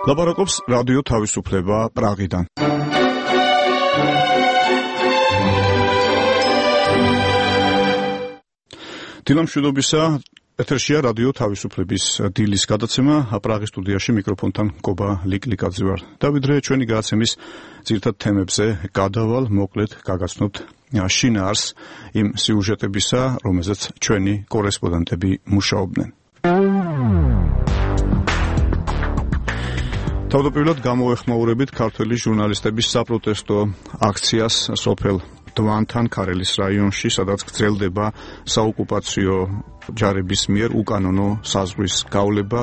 ლაპარაკობს რადიო თავისუფლება პრაღიდან. დილამშვიდობისა, ეთერშია რადიო თავისუფლების დილის გადაცემა, პრაღის სტუდიაში მიკროფონთან გობა ლიკლიკაძე ვარ. დავიდრე ჩვენი გადაცემის ძირითად თემებზე გადავალ, მოკლედ გაგაცნობთ შინაარს იმ სიუჟეტებისა, რომელზეც ჩვენი კორესპონდენტები მუშაობდნენ. თავდაპირველად გამოეხმაურებით ქართველი ჟურნალისტების საპროტესტო აქციას სოფელ დვანთან ქარელის რაიონში, სადაც გრძელდება საოკუპაციო ჯარების მიერ უკანონო საზღვრის გავლება.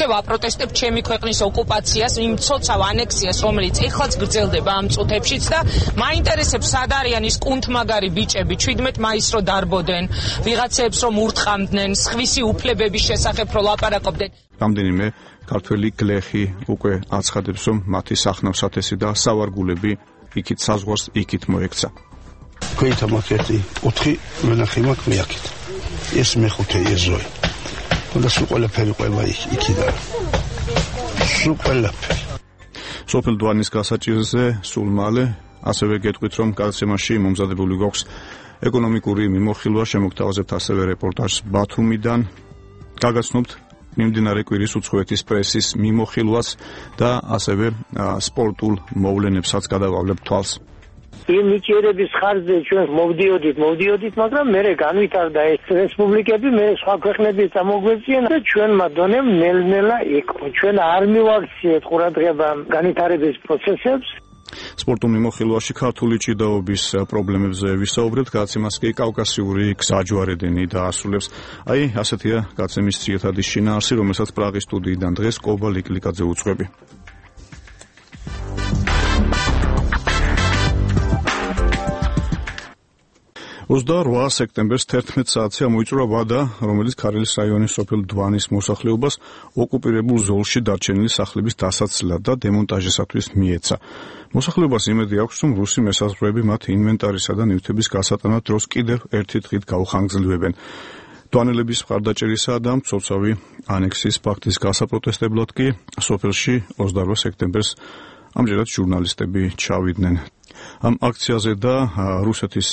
ვაპროტესტებ ჩემი ქვეყნის ოკუპაციას, იმ ცოცხალ ანექსიას, რომელიც ეხლაც გრძელდება ამ წუთებშიც და მაინტერესებს სად არიან ის კუნთმაგარი ბიჭები 17 მაისს რო დარბოდენ, ვიღაცებს რომ ურტყამდნენ, სხვისი უფლებების შესახებ რო ლაპარაკობდნენ. რამდენიმე ქართველი გლეხი უკვე აცხადებს, რომ მათი სახნავსათესი და სავარგულები იქით საზღვარს იქით მოექცა. Ქვეითა მაქეთი 4 ვენახი მაქვს მე აქეთ. ეს მეხუთე ეზოი. და სულ ყველაფერი ყვება იქიდან. სულ ყველაფერი. სოფელ დვანის გასაჭირზე სულ მალე ასევე გეტყვით, რომ გადაცემაში მომზადებული გვაქვს ეკონომიკური მიმოხილვა, შემოგთავაზებთ ასევე რეპორტაჟს ბათუმიდან. გაგაცნობთ მიმდინარე კვირის უცხოეთის პრესის მიმოხილვას და ასევე სპორტულ მოვლენებსაც გადავავლებთ თვალს. იმ ნიჭიერების ხარჯზე ჩვენ მოვდიოდით, მაგრამ მერე განვითარდა ეს რესპუბლიკები, მე სხვა ქვეყნები წამოგვეწიენ და ჩვენმა დონემ ნელ-ნელა იქო. ჩვენ არ მივაქციეთ ყურადღება განვითარების პროცესებს. სპორტულ მიმოხილვაში ქართული ჭიდაობის პრობლემებზე ვისაუბრებთ, გადაცემას კი კავკასიური გზაჯვარედინი დაასრულებს. აი, ასეთია გადაცემის ძირითადი შინაარსი, რომელსაც პრაღის სტუდიიდან დღეს გობა ლიკლიკაძე უძღვები. 28 სექტემბერს 11 საათზე მოიწურა ვადა, რომელიც ქარელის რაიონის სოფელ დვანის მოსახლეობას ოკუპირებულ ზოლში დარჩენილი სახლების დასაცლად და დემონტაჟისათვის მიეცა. მოსახლეობას იმედი აქვს, რომ რუსი მესაზღვრეები მათ ინვენტარისა და ნივთების გასატანად დროს კიდევ ერთი დღით გაუხანგრძლივებენ. დვანელების მხარდაჭერისა და მცოცავი ანექსიის ფაქტის გასაპროტესტებლად კი სოფელში 28 სექტემბერს ამჯერად ჟურნალისტები ჩავიდნენ. ამ აქციაზე და რუსეთის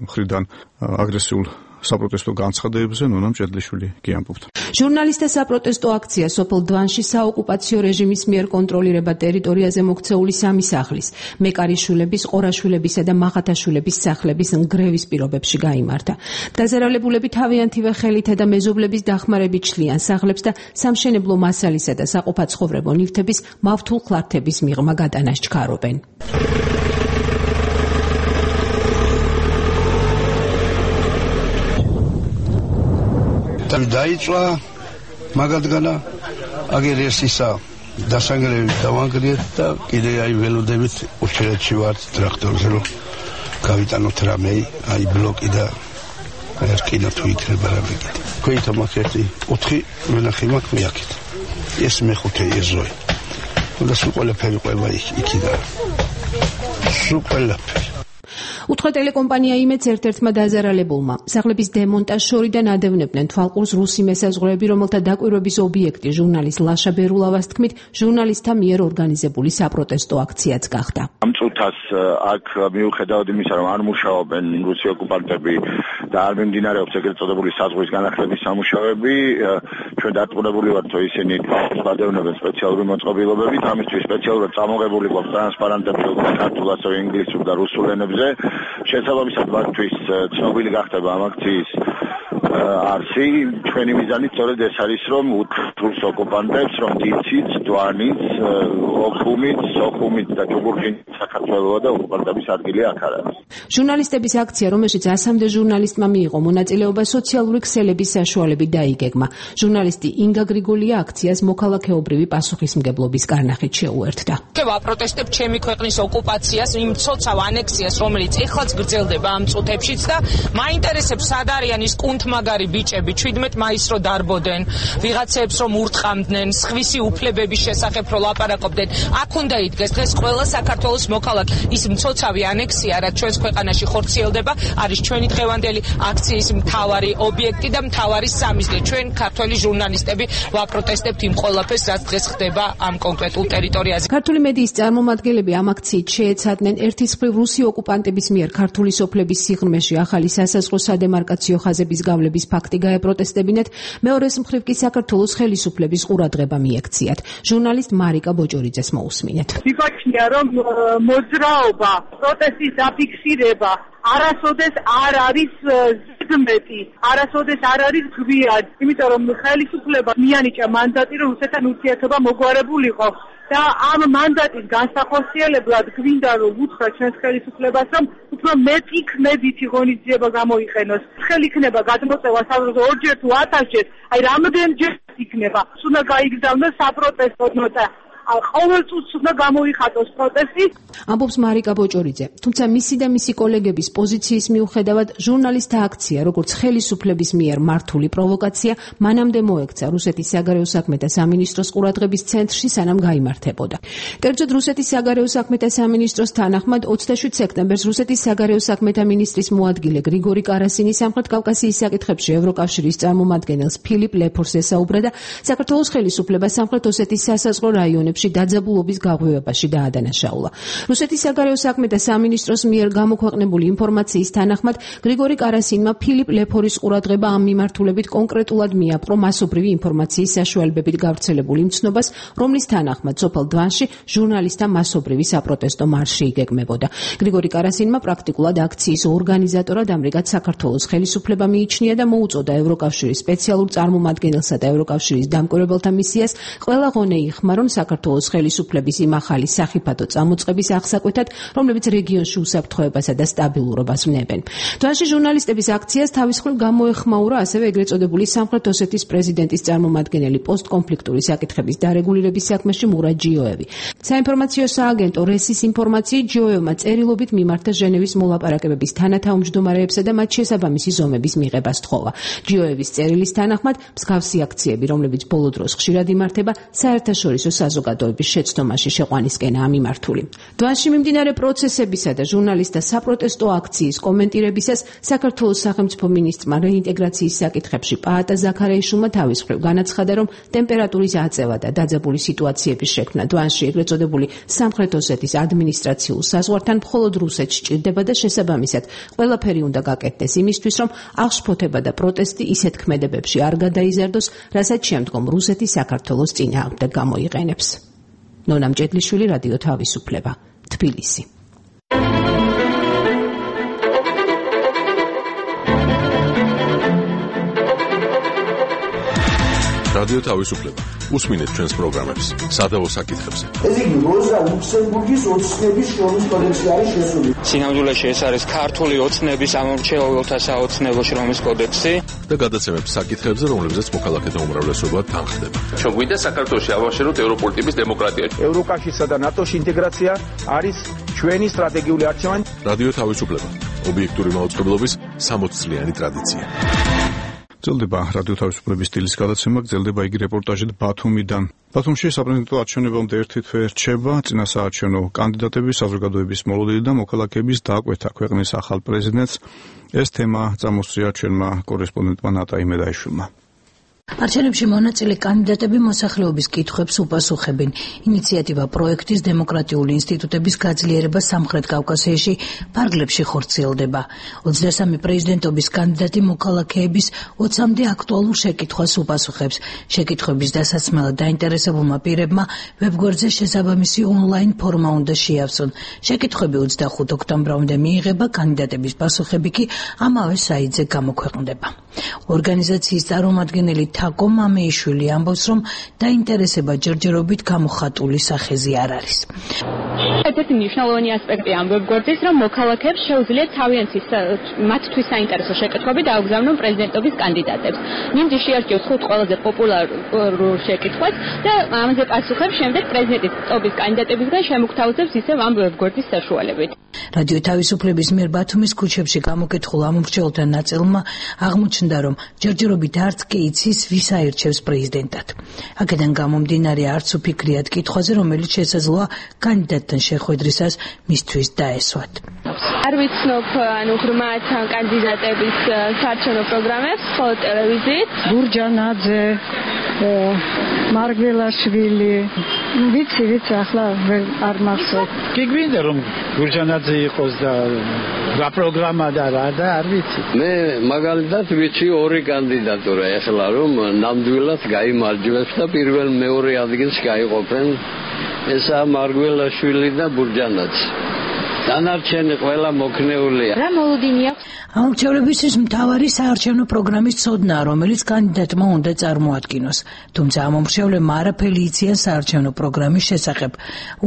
მხრიდან აგრესიულ საპროტესტო განცხადებებზე ნონა მჭედლიშვილი გიამბობთ. ჟურნალისტთა საპროტესტო აქცია სოფელ დვანში საოკუპაციო რეჟიმის მიერ კონტროლირება ტერიტორიაზე მოქცეული 3 სახლის, მეკარიშვილების, ყორაშვილებისა და მაღათაშვილების სახლების ნგრევის პირობებში გაიმართა. დაზარალებულები თავიანთივე ხელითა და მეზობლების დახმარებით შლიან სახლებს და სამშენებლო მასალისა და საყოფაცხოვრებო ნივთების მავთულ ქლართების მიღმა გატანას ჩქარობენ. დაიწვა მაგადგანა აგერ ეს ისა დასანგრევით დავანგრიეთ და კიდე აი ველოდებით ურჩეეთში ვართ ტრაქტორზე რომ გავიტანოთ რამე აი ბლოკი და ერკინა თუ იქნება რამე კიდე. ქვეითა მაქეთი 4 ვენახი მაქვს მე აქეთ. ეს მეხუთე ეზოი. და სულ ყველაფერი ყვება იქიდან. სულ ყველაფერი. უცხო ტელეკომპანია იმედს ერთ-ერთმა დაზარალებულმა სახლების დემონტაჟ შორიდან ადევნებდნენ თვალყურს რუსი მესაზღვრეები, რომელთა დაკვირვების ობიექტი ჟურნალისტ ლაშა ბერულავას თქმით, ჟურნალისტთა მიერ ორგანიზებული საპროტესტო აქციაც გახდა. ამ წუთას აქ მიუხედავად იმისა, რომ არ მუშაობენ რუსი ოკუპანტები და არ მიმდინარეობს ეგრეთ წოდებული საზღვრის განახლების სამუშაოები, ჩვენ დარწმუნებული ვართ, რომ ისინი გადავნებენ სპეციალური მოწყობილობებით, ამისთვის სპეციალურად წამოღებული გვაქვს ტრანსპარანტები ქართულ, ასევე ინგლისურ და რუსულ ენებზე. შესაბამისად მათთვის ცნობილი გახდება ამ აქციის არსი. ჩვენი მიზანი სწორედ ეს არის, რომ რუს ოკუპანტებს, რომ დიციც, დვანიც, ოხუმიც, სოხუმიც და ჯუგურხინიც საქართველოა და ოკუპანტების ადგილი აქ არ არის. ჟურნალისტების აქცია, რომელშიც 100-მდე ჟურნალისტმა მიიღო მონაწილეობა, სოციალური ქსელების საშუალებით დაიგეგმა. ჟურნალისტი ინგა გრიგოლია აქციას მოქალაქეობრივი პასუხისმგებლობის კარნახით შეუერთდა. ვაპროტესტებ ჩემი ქვეყნის ოკუპაციას, იმ ცოცხალ ანექსიას, რომელიც ეხლაც გრძელდება ამ წუთებშიც და მაინტერესებს სად არიან ის კუნთმა კუნთმაგარი ბიჭები 17 მაისს რო დარბოდენ, ვიღაცებს რომ ურტყამდნენ, სხვისი უფლებების შესახებ რო ლაპარაკობდნენ, აქ უნდა იდგეს დღეს ყველა საქართველოს მოქალაქე. ის მცოცავი ანექსია, რაც ჩვენს ქვეყანაში ხორციელდება, არის ჩვენი დღევანდელი აქციის მთავარი ობიექტი და მთავარი სამიზნე. ჩვენ ქართველი ჟურნალისტები ვაპროტესტებთ იმ ყველაფერს, რაც დღეს ხდება ამ კონკრეტულ ტერიტორიაზე. ქართული მედიის წარმომადგენლები ამ აქციით შეეცადნენ ერთის მხრივ რუსი ოკუპანტების მიერ ქართული სოფლების სიღრმეში ახალი სასაზღვრო სადემარკაციო ხაზების გავლების ფაქტი გაეპროტესტებინათ, მეორეს მხრივ კი საქართველოს ხელისუფლების ყურადღება მიექციათ. ჟურნალისტ მარიკა ბოჭორიძეს მოусმინეთ. მიგოჩნია რომ მოძრაობა, პროტესტის დაფიქსირება არასოდეს არ არის ზედმეტი, არასოდეს არ არის გვიან, იმიტომ რომ ხელისუფლება მიანიჭა მანდატი, რომ რუსეთთან ურთიერთობა მოგვარებულიყო. და ამ მანდატის განსახორციელებლად გვინდა რომ უთხრა ჩვენს ხელისუფლებას, რომ უფრო მეტი ქმედითი ღონისძიება გამოიყენოს. ხელი იქნება გადმოწევა საზღვარგარეთ ორჯერ თუ 1000-ჯერ, აი რამდენჯერ იქნება. უნდა გაიგზავნოს საპროტესტო ნოტა. ყოველ წუთს უნდა გამოიხატოს პროტესტი. ამბობს მარიკა ბოჭორიძე. თუმცა მისი და მისი კოლეგების პოზიციის მიუხედავად, ჟურნალისტთა აქცია, როგორც ხელისუფლების მიერ მართული პროვოკაცია, მანამდე მოექცა რუსეთის საგარეო საქმეთა სამინისტროს ყურადღების ცენტრში, სანამ გაიმართებოდა. კერძოდ რუსეთის საგარეო საქმეთა სამინისტროს თანახმად 27 სექტემბერს რუსეთის საგარეო საქმეთა მინისტრის მოადგილე გრიგორი კარასინი სამხრეთ კავკასიის საკითხებში ევროკავშირის წარმომადგენელს ფილიპ ლეფორს ესაუბრა და საქართველოს ხელისუფლებას სამხრეთ ოსეთის სასაზღვრო რაიონებში დაძაბულობის გაღვივებაში დაადანაშაულა. რუსეთის საგარეო საქმეთა სამინისტროს მიერ გამოქვეყნებული ინფორმაციის თანახმად გრიგორი კარასინმა ფილიპ ლეფორის ყურადღება ამ მიმართულებით კონკრეტულად მიაპყრო მასობრივი ინფორმაციის საშუალებებით გავრცელებულ იმცნობას, რომლის თანახმად სოფელ დვანში ჟურნალისტთა მასობრივი საპროტესტო მარში იგეგმებოდა. გრიგორი კარასინმა პრაქტიკულად აქციის ორგანიზატორად ამრიგად საქართველოს ხელისუფლება მიიჩნია და მოუწოდა ევროკავშირის სპეციალურ წარმომადგენელსა და ევროკავშირის დამკვირვებელთა მისიას ყველა ღონე იხმა, რომ საქართველოს ხელისუფლების იმ ახალი სახიფათო წამოწყების აღსაკვეთად, რომლებიც რეგიონში უსაფრთხოებასა და სტაბილურობას ვნებენ. დვანში ჟურნალისტების აქციას თავის მხრივ გამოეხმაურა ასევე ეგრეთ წოდებული სამხრეთ ოსეთის პრეზიდენტის წარმომადგენელი პოსტკონფლიქტური საკითხების დარეგულირების საქმეში მურად ჯიოევი. საინფორმაციო სააგენტო რესის ინფორმაციით ჯიოევმა წერილობით მიმართა ჟენევის მოლაპარაკებების თანათავმჯდომარეებსა და მათ შესაბამისი ზომების მიღება სთხოვა. ჯიოევის წერილის თანახმად მსგავსი აქციები, რომლებიც ბოლო დროს ხშირად იმართება, საერთაშორისო საზოგადოების შეცდომაში შეყვანისკენაა მიმართული. დვანში მიმდინარე პროცესებისა და ჟურნალისტთა საპროტესტო აქციის კომენტირებისას საქართველოს სახელმწიფო მინისტრმა რეინტეგრაციის საკითხებში პაატა ზაქარიაშვილმა თავის მხრივ განაცხადა, რომ ტემპერატურის აწევა და დაძაბული სიტუაციების შექმნა დვანში ეგრეთ წოდებული სამხრეთ ოსეთის ადმინისტრაციულ საზღვართან მხოლოდ რუსეთს სჭირდება და შესაბამისად ყველაფერი უნდა გაკეთდეს იმისთვის, რომ აღშფოთება და პროტესტი ისეთ ქმედებებში არ გადაიზარდოს, რასაც შემდგომ რუსეთი საქართველოს წინააღმდეგ გამოიყენებს. ნონა მჭედლიშვილი, რადიო თავისუფლება, თბილისი. რადიო თავისუფლება. უსმინეთ ჩვენს პროგრამებს სადავო საკითხებზე. ეს იგი როზა ლუქსემბურგის ოცნების შრომის კოდექსი არის შესული. სინამდვილეში ეს არის ქართული ოცნების ამომრჩეველთა საოცნებო შრომის კოდექსი და გადაცემებს საკითხებზე, რომლებზეც მოქალაქეთა უმრავლესობა თანხდება. ჩვენ გვინდა საქართველოში ავაშეროთ ევროპული ტიპის დემოკრატია. ევროკავშირსა და ნატოს ინტეგრაცია არის ჩვენი სტრატეგიული არჩევანი. რადიო თავისუფლება. ობიექტური მაუწყებლობის 60 წლიანი ტრადიცია. გრძელდება რადიო თავისუფლების სტილის გადაცემა, გრძელდება იგი რეპორტაჟით ბათუმიდან. ბათუმში საპრეზიდენტო არჩევნებამდე ერთი თვე რჩება, წინასაარჩევნო კანდიდატების, საზოგადოების მოლოდინი და მოქალაქეების დაკვეთა ქვეყნის ახალ პრეზიდენტს. ეს თემა წამოსწია ჩვენმა კორესპონდენტმა ნატა იმედაიშვილმა. არჩევნებში მონაწილე კანდიდატები მოსახლეობის კითხვებს უპასუხებენ. ინიციატივა პროექტის დემოკრატიული ინსტიტუტების გაძლიერება სამხრეთ კავკასიაში ფარგლებში ხორციელდება. 23 პრეზიდენტობის კანდიდატი მოქალაქეების 20-მდე აქტუალურ შეკითხვას უპასუხებს. შეკითხვების დასაცმელად დაინტერესებულმა პირებმა ვებგვერდზე შესაბამისი ონლაინ ფორმა უნდა შეავსონ. შეკითხვები 25 ოქტომბრამდე მიიღება, კანდიდატების პასუხები კი ამავე საიტზე გამოქვეყნდება. ორგანიზაციის წარმომადგენელი თაკო მამეიშვილი ამბობს, რომ დაინტერესება ჯერჯერობით გამოხატული სახეზი არ არის. ერთ-ერთი მნიშვნელოვანი ასპექტი ამ ვებგვერდის, რომ მოქალაქეებს შეუძლიათ თავიანთი მათთვის საინტერესო შეკითხვები დაუგზავნონ პრეზიდენტობის კანდიდატებს. ნიმდი შეარჩევს 5 ყველაზე პოპულარულ შეკითხვას და ამაზე პასუხებს შემდეგ პრეზიდენტობის კანდიდატებისგან შემოგთავაზებს ისევ ამ ვებგვერდის საშუალებით. რადიო თავისუფლების მიერ ბათუმის ქუჩებში გამოკითხულ ამ მრჩეველთა ნაწილმა აღმოჩნდა, რომ ჯერჯერობით არც კი იცის, ვის აირჩევს პრეზიდენტად. აქედან გამომდინარე არც უფიქრიათ კითხვაზე, რომელიც შესაძლოა კანდიდატთან შეხვედრისას მისთვის დაესვათ. არ ვიცნობ ღრმად კანდიდატების საარჩევნო პროგრამებს, ხოლო ტელევიზიით. გურჯანაძე, მარგველაშვილი, ვიცი, ახლა არ მახსოვს. გიგვინდა რომ გურჯანაძე იყოს და პროგრამა და რა და არ ვიცი. მე მაგალითად ვიცი ორი კანდიდატურა ეხლა რომ ნამდვილად გაიმარჯვებს და პირველ მეორე ადგილს გაიყოფენ. ესაა მარგველაშვილი და გურჯანაძე. დანარჩენი ყველა მოქნეულია. რა მოლოდინი აქვს? ამორჩეულებისთვის მთავარი საარჩევნო პროგრამის ცოდნა, რომელიც კანდიდატმა უნდა წარმოადგინოს. თუმცა ამომრჩევლებმა არაფერი იციან საარჩევნო პროგრამის შესახებ.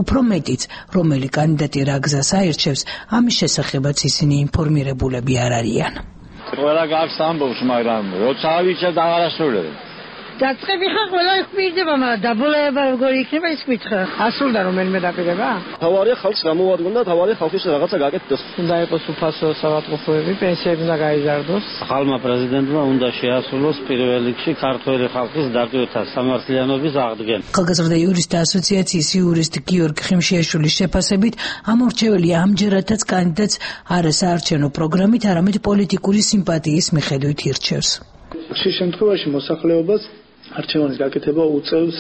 უფრო მეტიც, რომელი კანდიდატი რა გზას აირჩევს, ამის შესახებაც ისინი ინფორმირებულები არ არიან. ყველა გაქვს ამბობს, მაგრამ როცა ავიჩა და აღარასრულებ. დაწყები ხა ყველა იყვირდება, მაგრამ დაბოლოება როგორი იქნება ის მითხრა. ასრულდა რომელიმე დაპირება? თავარია ხალხს გამოადგონდა, თავარია ხალხის რაღაცა გააკეთოს. უნდა იყოს უფასო საავადმყოფოები, პენსიები უნდა გაიზარდოს. ხალხმა პრეზიდენტმა უნდა შეასრულოს პირველ რიგში ქართველი ხალხის დატვირთვა სამართლიანობის აღდგენა. ხალხაზრდა იურისტთა ასოციაციის იურისტი გიორგი ხიმშიაშვილის შეფასებით, ამორჩეველი ამჯერადაც კანდიდატს არა საარჩევნო პროგრამით, არამედ პოლიტიკური სიმპათიის მიხედვით ირჩევს. ხშირ შემთხვევაში მოსახლეობას არჩევანის გაკეთება უწევს,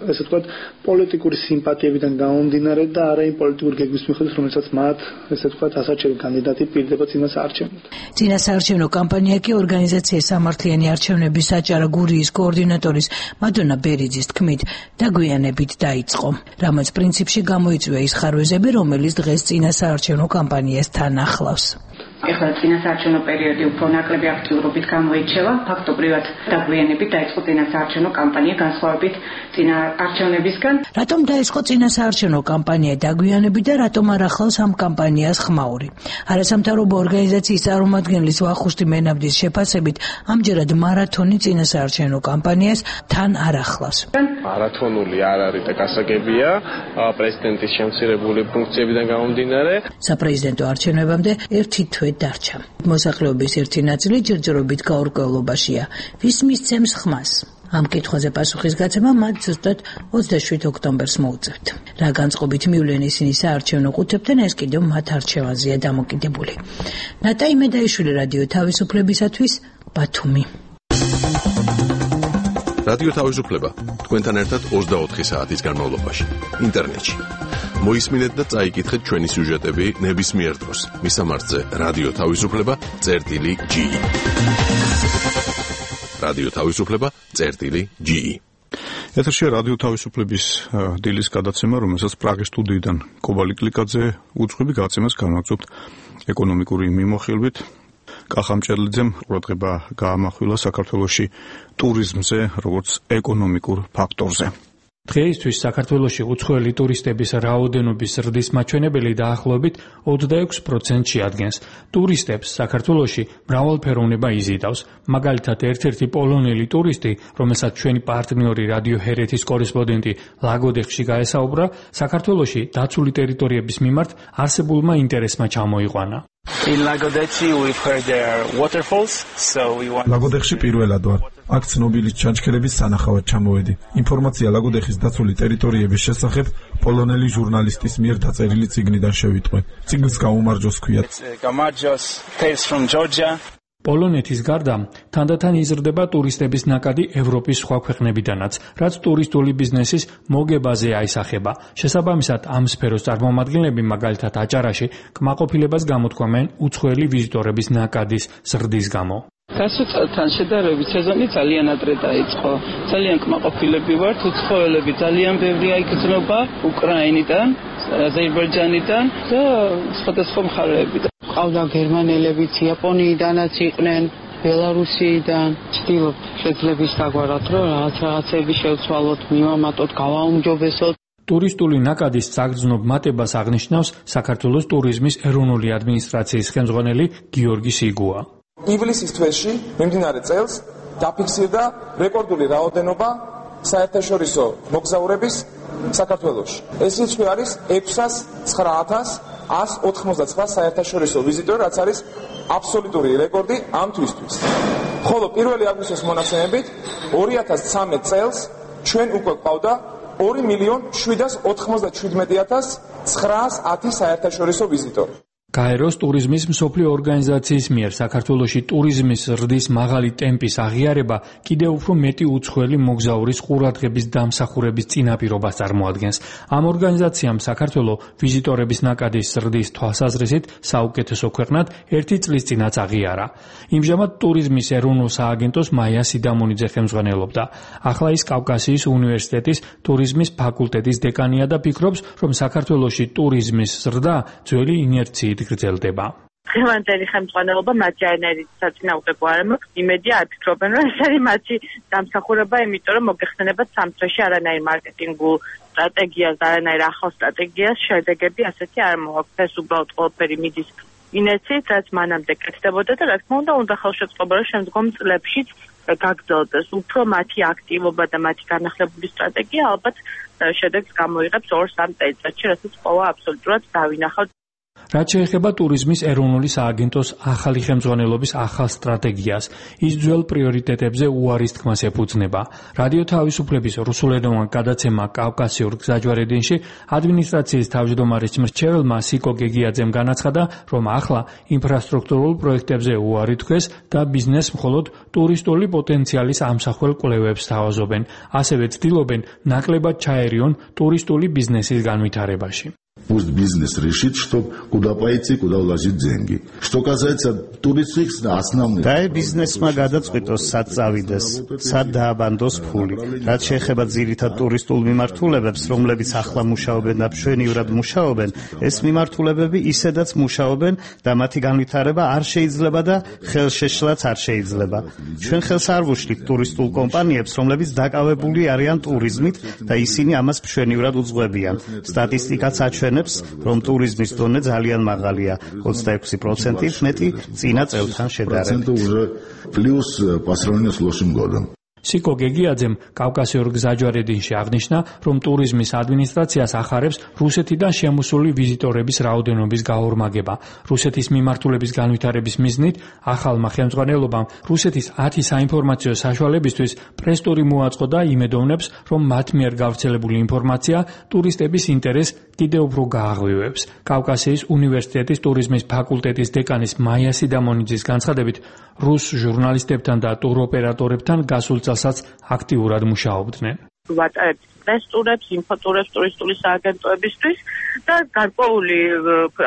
ესე ვთქვათ, პოლიტიკური სიმპათიებიდან გამომდინარე და არა იმ პოლიტიკური გეგმის მიხედვით, რომელსაც მათ, ესე ვთქვათ, ასარჩევი კანდიდატი პირდება წინა საარჩევნოდ. წინა საარჩევნო კამპანია კი ორგანიზაციის სამართლიანი არჩევნების საჭარა გურიის კოორდინატორის მადონა ბერიძის თქმით, დაგვიანებით დაიწყო. რამაც პრინციპში გამოიწვია ის ხარვეზები, რომელიც დღეს წინა საარჩევნო კამპანიას თან ახლავს. ეხლა წინა საარჩევნო პერიოდი უფრო ნაკლები აქტიურობით გამოირჩევა, ფაქტობრივად დაგვიანებით დაიწყო წინა საარჩევნო კამპანია განსხვავებით წინა არჩევნებისგან. რატომ დაიწყო წინა საარჩევნო კამპანია დაგვიანებით და რატომ არ ახლავს ამ კამპანიას ხმაური? არასამთავრობო ორგანიზაციის წარმომადგენლის ვახუშტი მენაბდის შეფასებით, ამჯერად მარათონი წინა საარჩევნო კამპანიას თან არ ახლავს. მარათონული არ არის და გასაგებია პრეზიდენტის შემცირებული ფუნქციებიდან გამომდინარე. საპრეზიდენტო არჩევნებამდე ერთი თვე დარჩა. მოსახლეობის ერთი ნაწილი ჯერჯერობით გაურკვევლობაშია. ვის მისცემს ხმას? ამ კითხვაზე პასუხის გაცემა მათ ზუსტად 27 ოქტომბერს მოუწევთ. რა განწყობით მივლენ ისინი საარჩევნო ყუთებთან, ეს კიდევ მათ არჩევანზეა დამოკიდებული. ნატაი მედაიშვილი, რადიო თავისუფლებისათვის, ბათუმი. რადიო თავისუფლება თქვენთან ერთად 24 საათის განმავლობაში ინტერნეტში. მოისმინეთ და წაიკითხეთ ჩვენი სიუჟეტები ნებისმიერ დროს. მისამართზე რადიო თავისუფლება.ge. რადიო თავისუფლება.ge. ეთერშია რადიო თავისუფლების დილის გადაცემა, რომელსაც პრაღის სტუდიიდან კობალი კლიკაძე უძღვები გაცემას განაგზობთ ეკონომიკური მიმოხილვით. კახამჭერლიძემ ყურადღება გაამახვილა საქართველოში ტურიზმზე, როგორც ეკონომიკურ ფაქტორზე. დღეისთვის საქართველოში უცხოელი ტურისტების რაოდენობის ზრდის მაჩვენებელი დაახლოებით 26% შეადგენს. ტურისტებს საქართველოში მრავალფეროვნება იზიდავს. მაგალითად, ერთ-ერთი პოლონელი ტურისტი, რომელსაც ჩვენი პარტნიორი რადიო ჰერეთის კორესპონდენტი ლაგოდეხში გაესაუბრა, საქართველოში დაცული ტერიტორიების მიმართ არსებულმა ინტერესმა ჩამოიყვანა. ლაგოდეხში პირველად ვარ. აქ ცნობილი ჩანჩქერების სანახავად ჩამოვედი. ინფორმაცია ლაგოდეხის დაცული ტერიტორიების შესახებ პოლონელი ჟურნალისტის მიერ დაწერილი წიგნიდან შევიტყვე. წიგნს გაუმარჯოს ქვია. პოლონეთის გარდა თანდათან იზრდება ტურისტების ნაკადი ევროპის სხვა ქვეყნებიდანაც, რაც ტურისტული ბიზნესის მოგებაზე აისახება. შესაბამისად, ამ სფეროს წარმომადგენლები, მაგალითად აჭარაში, კმაყოფილებას გამოთქვამენ უცხოელი ვიზიტორების ნაკადის ზრდის გამო. გასულ წელთან შედარებით სეზონი ძალიან ადრე დაიწყო. ძალიან კმაყოფილები ვართ, უცხოელები ძალიან ბევრი აიგზნობა უკრაინიდან, აზერბაიჯანიდან და სხვადასხვა მხარეებიდან. ყავდა გერმანელებიც, იაპონიიდანაც იყვნენ, ბელარუსიიდან. ვცდილობ შეძლების დაგვარად, რომ რაღაცები შევცვალოთ, მივამატოთ, გავაუმჯობესოთ. ტურისტული ნაკადის საგრძნობ მატებას აღნიშნავს საქართველოს ტურიზმის ეროვნული ადმინისტრაციის ხელმძღვანელი გიორგი სიგუა. ივლისის თვეში მიმდინარე წელს დაფიქსირდა რეკორდული რაოდენობა საერთაშორისო მოგზაურების საქართველოში. ეს რიცხვი არის 609,199 საერთაშორისო ვიზიტორი, რაც არის აბსოლუტური რეკორდი ამ თვისთვის. ხოლო 1 აგვისტოს მონაცემებით 2013 წელს ჩვენ უკვე ყავდა 2,797,910 საერთაშორისო ვიზიტორი. გაეროს ტურიზმის მსოფლიო ორგანიზაციის მიერ საქართველოში ტურიზმის ზრდის მაღალი ტემპის აღიარება კიდევ უფრო მეტი უცხოელი მოგზაურის ყურადღების დამსახურების წინაპირობას წარმოადგენს. ამ ორგანიზაციამ საქართველო ვიზიტორების ნაკადის ზრდის თვალსაზრისით საუკეთესო ქვეყნად 1 წლის წინაც აღიარა. იმჟამად ტურიზმის ეროვნულ სააგენტოს მაია სიდამონიძე ხელმძღვანელობდა. ახლა ის კავკასიის უნივერსიტეტის ტურიზმის ფაკულტეტის დეკანია და ფიქრობს, რომ საქართველოში ტურიზმის ზრდა ძველი ინერციით გრძელდება. დღევანდელი ხელმძღვანელობა მათი არანაირი საწინააღმდეგო არ მაქვს. იმედია არ ფიქრობენ, რომ ეს არის მათი დამსახურება, იმიტომ რომ მოგეხსენებათ სამწუხაროდ არანაირ მარკეტინგულ სტრატეგიას, არანაირ ახალ სტრატეგიას შედეგები ასეთი არ მოაქვს. ეს უბრალოდ ყველაფერი მიდის ინერციით, რაც მანამდე კეთდებოდა და რა თქმა უნდა ხელშეწყობა რომ შემდგომ წლებშიც გაგრძელდეს. უფრო მათი აქტივობა და მათი განახლებული სტრატეგია ალბათ შედეგს გამოიღებს 2-3 წელიწადში, რასაც ყოველ აბსოლუტურად დავინახავთ. რაც შეეხება ტურიზმის ეროვნული სააგენტოს ახალი ხელმძღვანელობის ახალ სტრატეგიას, ის ძველ პრიორიტეტებზე უარის თქმას ეფუძნება. რადიო თავისუფლების რუსულენოვან გადაცემა კავკასიურ გზაჯვარედინში ადმინისტრაციის თავმჯდომარის მრჩეველმა სიკო გეგიაძემ განაცხადა, რომ ახლა ინფრასტრუქტურულ პროექტებზე უარი თქვეს და ბიზნესს მხოლოდ ტურისტული პოტენციალის ამსახველ კვლევებს თავაზობენ. ასევე ცდილობენ ნაკლებად ჩაერიონ ტურისტული ბიზნესის განვითარებაში. Пусть бизнес решит, что куда пойти, куда вложить деньги. Что касается туристов, основных. და ბიზნესმა გადაწყვიტოს სად წავიდეს, სად დააბანდოს ფული. რაც შეეხება ძირითად ტურისტულ მიმართულებებს, რომლებიც ახლა მუშაობენ და მშვენივრად მუშაობენ, ეს მიმართულებები ისედაც მუშაობენ და მათი განვითარება არ შეიძლება და ხელშეშლაც არ შეიძლება. ჩვენ ხელს არ ვუშლით ტურისტულ კომპანიებს, რომლებიც დაკავებული არიან ტურიზმით და ისინი ამას მშვენივრად უძღვებიან. სტატისტიკაც აჩვენებს, რომ ტურიზმის დონე ძალიან მაღალია, 26% მეტი წინა წელთან შედარებით. Плюс по сравнению с прошлым годом. სიკო გეგიაძემ კავკასიურ გზაჯვარედინში აღნიშნა, რომ ტურიზმის ადმინისტრაციას ახარებს რუსეთიდან შემოსული ვიზიტორების რაოდენობის გაორმაგება. რუსეთის მიმართულების განვითარების მიზნით ახალმა ხელმძღვანელობამ რუსეთის 10 საინფორმაციო საშუალებისთვის პრეს-ტური მოაწყო და იმედოვნებს, რომ მათ მიერ გავრცელებული ინფორმაცია ტურისტების ინტერესს კიდევ უფრო გააღვივებს. კავკასიის უნივერსიტეტის ტურიზმის ფაკულტეტის დეკანის მაია სიდამონიძის განცხადებით, რუს ჟურნალისტებთან და ტუროპერატორებთან გასულ წელსაც აქტიურად მუშაობდნენ. ვატარებთ პრეს-ტურებს, ინფოტურებს ტურისტული სააგენტოებისთვის და გარკვეული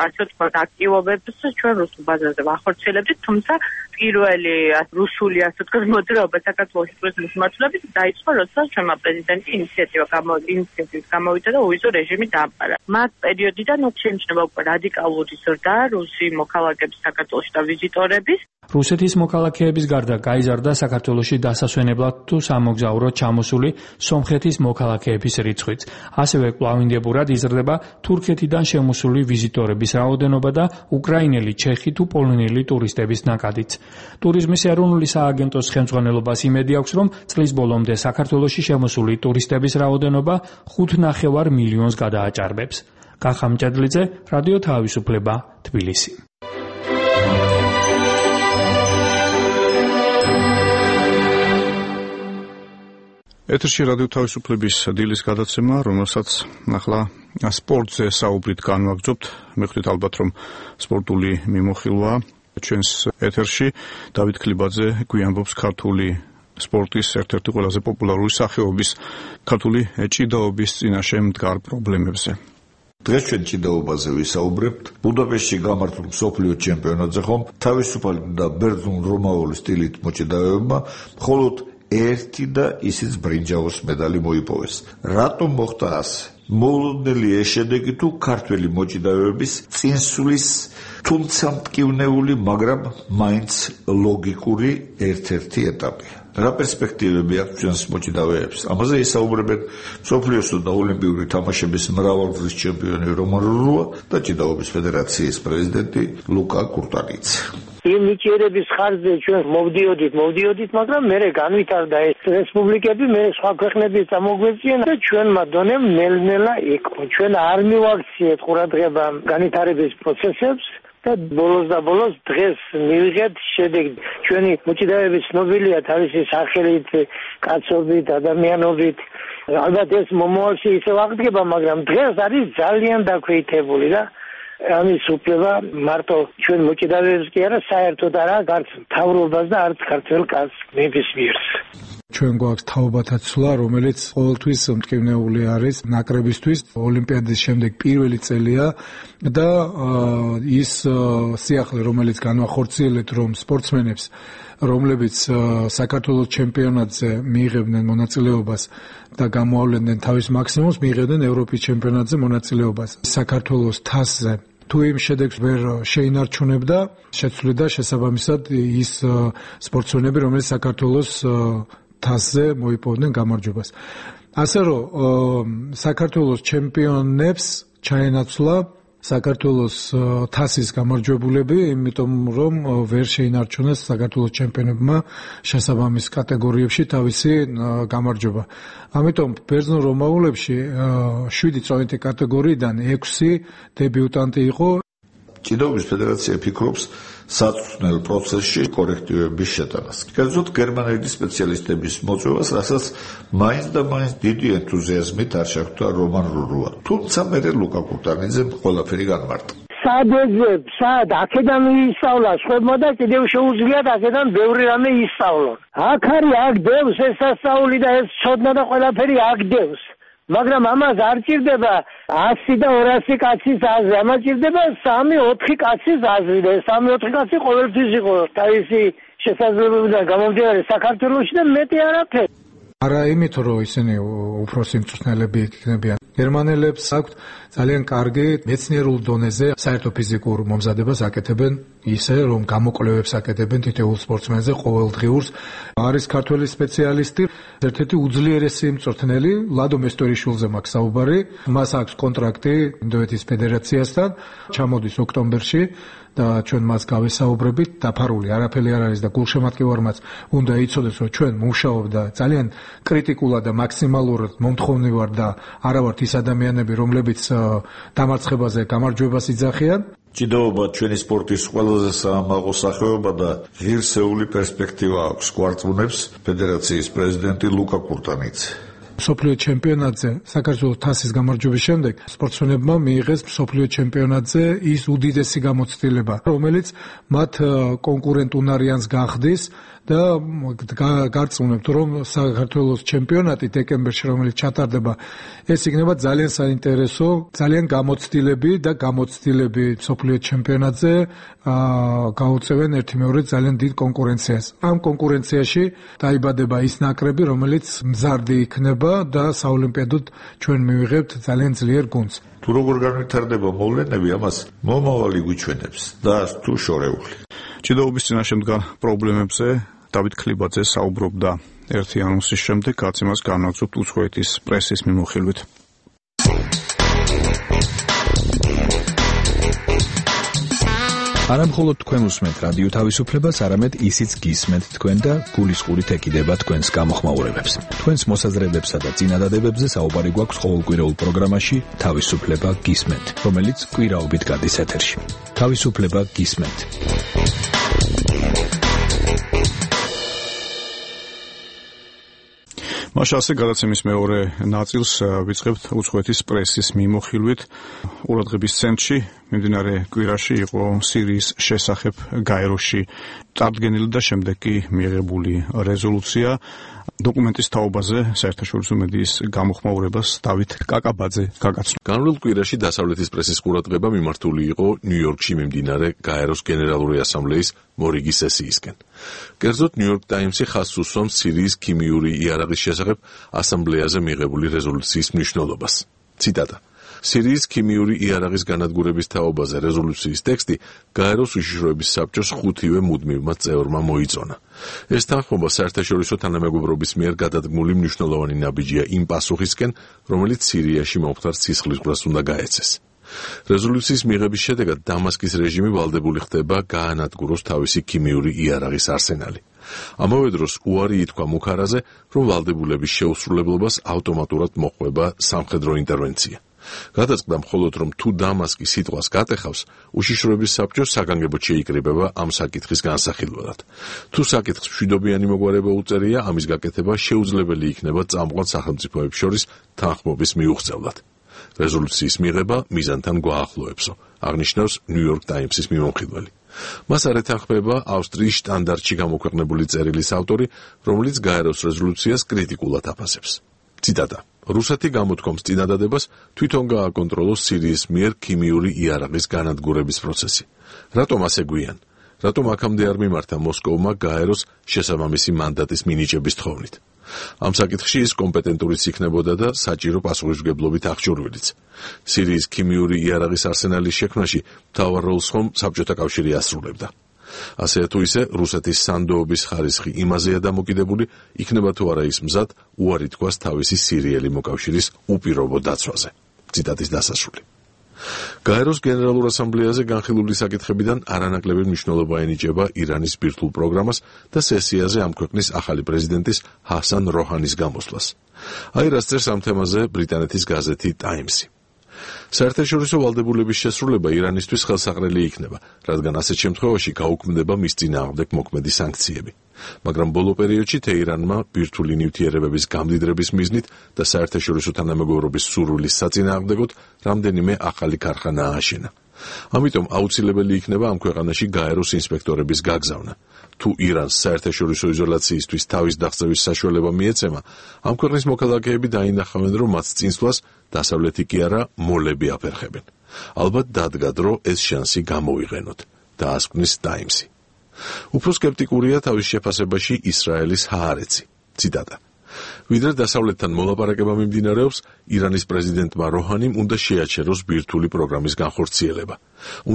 ასე ვთქვათ აქტივობებს ჩვენ რუსულ ბაზარზე ვახორციელებთ, თუმცა პირველი რუსული ასე ვთქვათ მოძრაობა საქართველოს ტურიზმის მიმართულებით დაიწყო, როდესაც ჩვენმა პრეზიდენტი ინიციატივით გამოვიდა და უვიზო რეჟიმი დაამყარა. მათ პერიოდიდან შეიმჩნევა უკვე რადიკალური ზრდა რუსი მოქალაქეების საქართველოში და ვიზიტორების. რუსეთის მოქალაქეების გარდა გაიზარდა საქართველოში დასასვენებლად თუ სამოგზაუროდ ჩამოსული სომხეთის მოქალაქეების რიცხვიც. ასევე კვლავინდებურად იზრდება თურქეთიდან შემოსული ვიზიტორების რაოდენობა და უკრაინელი, ჩეხი თუ პოლონელი ტურისტების ნაკადიც. ტურიზმის ეროვნული სააგენტოს ხელმძღვანელობას იმედი აქვს, რომ წლის ბოლომდე საქართველოში შემოსული ტურისტების რაოდენობა 5,5 მილიონს გადააჭარბებს. კახა მჭედლიძე, რადიო თავისუფლება, თბილისი. ეთერში რადიო თავისუფლების დილის გადაცემა, რომელსაც ახლა სპორტზე საუბრით განვაგრძობთ. მეხვრით ალბათ, რომ სპორტული მიმოხილვა ჩვენს ეთერში დავით ქლიბაძე გვიამბობს ქართული სპორტის ერთ-ერთი ყველაზე პოპულარული სახეობის ქართული ჭიდაობის წინაშე მდგარ პრობლემებზე. დღეს ჩვენ ჭიდაობაზე ვისაუბრებთ. ბუდაპეშტში გამართულ მსოფლიო ჩემპიონატზე ხომ თავისუფალი და ბერძნულ-რომაული სტილით მოჭიდავეებმა მხოლოდ ერთი და ისიც ბრინჯაოს მედალი მოიპოვეს. რატომ მოხდა ასე? მოულოდნელი ეს შედეგი თუ ქართველი მოჭიდავეების წინსვლის თუმცა მტკივნეული, მაგრამ მაინც ლოგიკური ერთ-ერთი ეტაპია. რა პერსპექტივები აქვს ჩვენს მოჭიდავეებს? ამაზე ისაუბრებენ მსოფლიოსო და ოლიმპიური თამაშების მრავალგზის ჩემპიონი რომან რურუა და ჭიდაობის ფედერაციის პრეზიდენტი ლუკა კურტანიძე. იმ ნიჭიერების ხარჯზე ჩვენ მოვდიოდით, მაგრამ მე განვითარდა ეს რესპუბლიკები, მე სხვა ქვეყნების წამოგვეწიენ და ჩვენმა დონემ ნელ-ნელა იქო. ჩვენ არ მივაქციეთ ყურადღება განვითარების პროცესებს და ბოლოს დღეს მივიღეთ შედეგი. ჩვენი მოჭიდავეები ცნობილია თავისი სახელით, კაცობით, ადამიანობით. ალბათ ეს მომავალში ისევ აღდგება, მაგრამ დღეს არის ძალიან დაქვეითებული და ამის უფლება მარტო ჩვენ მოჭიდავეებს კი არა, საერთოდ არა, არც მთავრობას და არც ქართველ კაცს ნებისმიერს. ჩვენ გვაქვს თაობათა ცვლა, რომელიც ყოველთვის მტკივნეული არის ნაკრებისთვის. ოლიმპიადის შემდეგ პირველი წელია და ის სიახლე, რომელიც განვახორციელეთ, რომ სპორტსმენებს, რომლებიც საქართველოს ჩემპიონატზე მიიღებდნენ მონაწილეობას და გამოავლენდნენ თავის მაქსიმუმს, მიიღებდნენ ევროპის ჩემპიონატზე მონაწილეობას. საქართველოს თასზე თუ იმ შედეგს ვერ შეინარჩუნებდა, შეცვლიდა შესაბამისად ის სპორტსმენები, რომელიც საქართველოს თასზე მოიპოვდნენ გამარჯვებას. ასე რომ საქართველოს ჩემპიონებს ჩაენაცვლა საქართველოს თასის გამარჯვებულები, იმიტომ რომ ვერ შეინარჩუნეს საქართველოს ჩემპიონებმა შესაბამის კატეგორიებში თავისი გამარჯვება. ამიტომ ბერძნულ რომაულებში 7 წონითი კატეგორიიდან 6 დებიუტანტი იყო. ჭიდაობის ფედერაცია ფიქრობს საწვრთნელ პროცესში კორექტივების შეტანას. კერძოდ გერმანელი სპეციალისტების მოწვევას, რასაც მაინც და მაინც დიდი ენთუზიაზმით არ შეხვდა რომან რურუა. თუმცა მერე ლუკა კურტანიძემ ყველაფერი განმარტა. სად აქედან ისწავლა სხვებმა და კიდევ შეუძლიათ აქედან ბევრი რამე ისწავლონ. აქ არის, აქ დევს ეს სასწაული და ეს ცოდნა და ყველაფერი აქ დევს. მაგრამ ამას არ ჭირდება 100 და 200 კაცის აზრი, ამას ჭირდება 3-4 კაცის აზრი და 3-4 კაცი ყოველთვის იყო თავისი შესაძლებლობიდან გამომდინარე საქართველოში და მეტი არაფერი. არა იმით, რომ ისინი უფროსი მწვრთნელები იქნებიან. გერმანელებს აქვთ ძალიან კარგი მეცნიერულ დონეზე საერთო ფიზიკურ მომზადებას აკეთებენ, ისე რომ გამოკვლევებს აკეთებენ თითოეულ სპორტსმენზე ყოველდღიურს. არის ქართველი სპეციალისტი, ერთ-ერთი უძლიერესი მწვრთნელი, ლადო მესტორიშვილზე მაქვს საუბარი. მას აქვს კონტრაქტი ინდოეთის ფედერაციასთან, ჩამოდის ოქტომბერში და ჩვენ მას გავესაუბრებით, დაფარული არაფერი არ არის და გულშემატკივარმაც უნდა იცოდეს, რომ ჩვენ მუშაობ და ძალიან კრიტიკულად და მაქსიმალურად მომთხოვნი ვარ და არა ვართ ის ადამიანები, რომლებიც დამარცხებაზე გამარჯვებას იძახიან. ჭიდაობა ჩვენი სპორტის ყველაზე საამაყო სახეობა და ღირსეული პერსპექტივა აქვს, გვარწმუნებს ფედერაციის პრეზიდენტი ლუკა კურტანიძე. მსოფლიო ჩემპიონატზე საქართველოს თასის გამარჯვების შემდეგ სპორტსმენებმა მიიღეს მსოფლიო ჩემპიონატზე ის უდიდესი გამოცდილება, რომელიც მათ კონკურენტ უნარიანს გახდის და გარწმუნებთ, რომ საქართველოს ჩემპიონატი დეკემბერში, რომელიც ჩატარდება, ეს იქნება ძალიან საინტერესო, ძალიან გამოცდილები მსოფლიო ჩემპიონატზე გაუწევენ ერთიმეორედ ძალიან დიდ კონკურენციას. ამ კონკურენციაში დაიბადება ის ნაკრები, რომელიც მზარდი იქნება და საოლიმპიადოდ ჩვენ მივიღებთ ძალიან ძლიერ გუნდს. თუ როგორ განვითარდება მოვლენები, ამას მომავალი გვიჩვენებს და თუ შორეული. ჭიდაობის წინაშე მდგარ პრობლემებზე დავით ქლიბაძე საუბრობდა ერთი ანონსის შემდეგ, რაც იმას განვაგრძობთ უცხოეთის პრესის მიმოხილვით. არა მხოლოდ თქვენ უსმენთ რადიო თავისუფლებას, არამედ ისიც გისმენთ თქვენ და გულისყურით ეკიდება თქვენს გამოხმაურებებს. თქვენს მოსაზრებებსა და წინადადებებზე საუბარი გვაქვს ყოველკვირეულ პროგრამაში თავისუფლება გისმენთ, რომელიც კვირაობით გადის ეთერში. თავისუფლება გისმენთ. მაშასე გადაცემის მეორე ნაწილს ვიწყებთ უცხოეთის პრესის მიმოხილვით. ყურადღების ცენტრში მიმდინარე კვირაში იყო სირიის შესახებ გაეროში წარდგენილი და შემდეგ კი მიიღებული რეზოლუცია. დოკუმენტის თაობაზე საერთაშორისო მედიის გამოხმაურებას დავით კაკაბაძე გაგაცნო. განვლილ კვირაში დასავლეთის პრესის ყურადღება მიმართული იყო ნიუ-იორკში მიმდინარე გაეროს გენერალური ასამბლეის მორიგი სესიისკენ. კერძოდ ნიუ-იორკ ტაიმსი ხაზს უსვამს სირიის ქიმიური იარაღის შესახებ ასამბლეაზე მიღებული რეზოლუციის მნიშვნელობას. ციტატა: სირიის ქიმიური იარაღის განადგურების თაობაზე რეზოლუციის ტექსტი გაეროს უშიშროების საბჭოს 5-ვე მუდმივმა წევრმა მოიწონა. ეს თანხმობა საერთაშორისო თანამეგობრობის მიერ გადადგმული მნიშვნელოვანი ნაბიჯია იმ პასუხისკენ, რომელიც სირიაში მომხდარ სისხლისღვრას უნდა გაეცეს. რეზოლუციის მიღების შედეგად დამასკის რეჟიმი ვალდებული ხდება გაანადგუროს თავისი ქიმიური იარაღის არსენალი. ამავე დროს უარი ითქვა მუქარაზე, რომ ვალდებულების შეუსრულებლობას ავტომატურად მოჰყვება სამხედრო ინტერვენცია. გადაწყდა მხოლოდ რომ თუ დამასკი სიტყვას გატეხავს, უშიშროების საბჭო საგანგებოდ შეიკრიბება ამ საკითხის განსახილველად. თუ საკითხს მშვიდობიანი მოგვარება უწერია, ამის გაკეთება შეუძლებელი იქნება წამყვან სახელმწიფოებს შორის თანხმობის მიუღწევლად. რეზოლუციის მიღება მიზანთან გვაახლოებსო, აღნიშნავს New York Times-ის მიმომხილველი. მას არ ეთანხმება ავსტრიის შტანდარტში გამოქვეყნებული წერილის ავტორი, რომელიც გაეროს რეზოლუციას კრიტიკულად აფასებს. ციტატა: რუსეთი გამოთქვამს წინადადებას თვითონ გააკონტროლოს სირიის მიერ ქიმიური იარაღის განადგურების პროცესი. რატომ ასე გვიან? რატომ აქამდე არ მიმართა მოსკოვმა გაეროს შესაბამისი მანდატის მინიჭების თხოვნით? ამ საკითხში ის კომპეტენტურიც იქნებოდა და საჭირო პასუხისმგებლობით აღჭურვილიც. სირიის ქიმიური იარაღის არსენალის შექმნაში მთავარ როლს ხომ საბჭოთა კავშირი ასრულებდა. ასე თუ ისე რუსეთის სანდოობის ხარისხი იმაზეა დამოკიდებული, იქნება თუ არა ის მზად უარი თქვას თავისი სირიელი მოკავშირის უპირობო დაცვაზე. ციტატის დასასრული. გაეროს გენერალურ ასამბლეაზე განხილული საკითხებიდან არანაკლები მნიშვნელობა ენიჭება ირანის ბირთვულ პროგრამას და სესიაზე ამ ქვეყნის ახალი პრეზიდენტის ჰასან როჰანის გამოსვლას. აი რაც წერს ამ თემაზე ბრიტანეთის გაზეთი ტაიმსი. საერთაშორისო ვალდებულების შესრულება ირანისთვის ხელსაყრელი იქნება, რადგან ასეთ შემთხვევაში გაუქმდება მის წინააღმდეგ მოქმედი სანქციები. მაგრამ ბოლო პერიოდში თეირანმა ბირთვული ნივთიერებების გამდიდრების მიზნით და საერთაშორისო თანამეგობრობის სურვილის საწინააღმდეგოდ რამდენიმე ახალი ქარხანა ააშენა. ამიტომ აუცილებელი იქნება ამ ქვეყანაში გაეროს ინსპექტორების გაგზავნა. თუ ირანს საერთაშორისო იზოლაციისთვის თავის დაღწევის საშუალება მიეცემა, ამ ქვეყნის მოქალაქეები დაინახავენ, რომ მათ წინსვლას დასავლეთი კი არა მოლები აფერხებენ. ალბათ დადგა დრო ეს შანსი გამოვიყენოთ, დაასკვნის ტაიმსი. უფრო სკეპტიკურია თავის შეფასებაში ისრაელის ჰაარეცი. ციტატა: ვიდრე დასავლეთთან მოლაპარაკება მიმდინარეობს, ირანის პრეზიდენტმა როჰანიმ უნდა შეაჩეროს ბირთვული პროგრამის განხორციელება.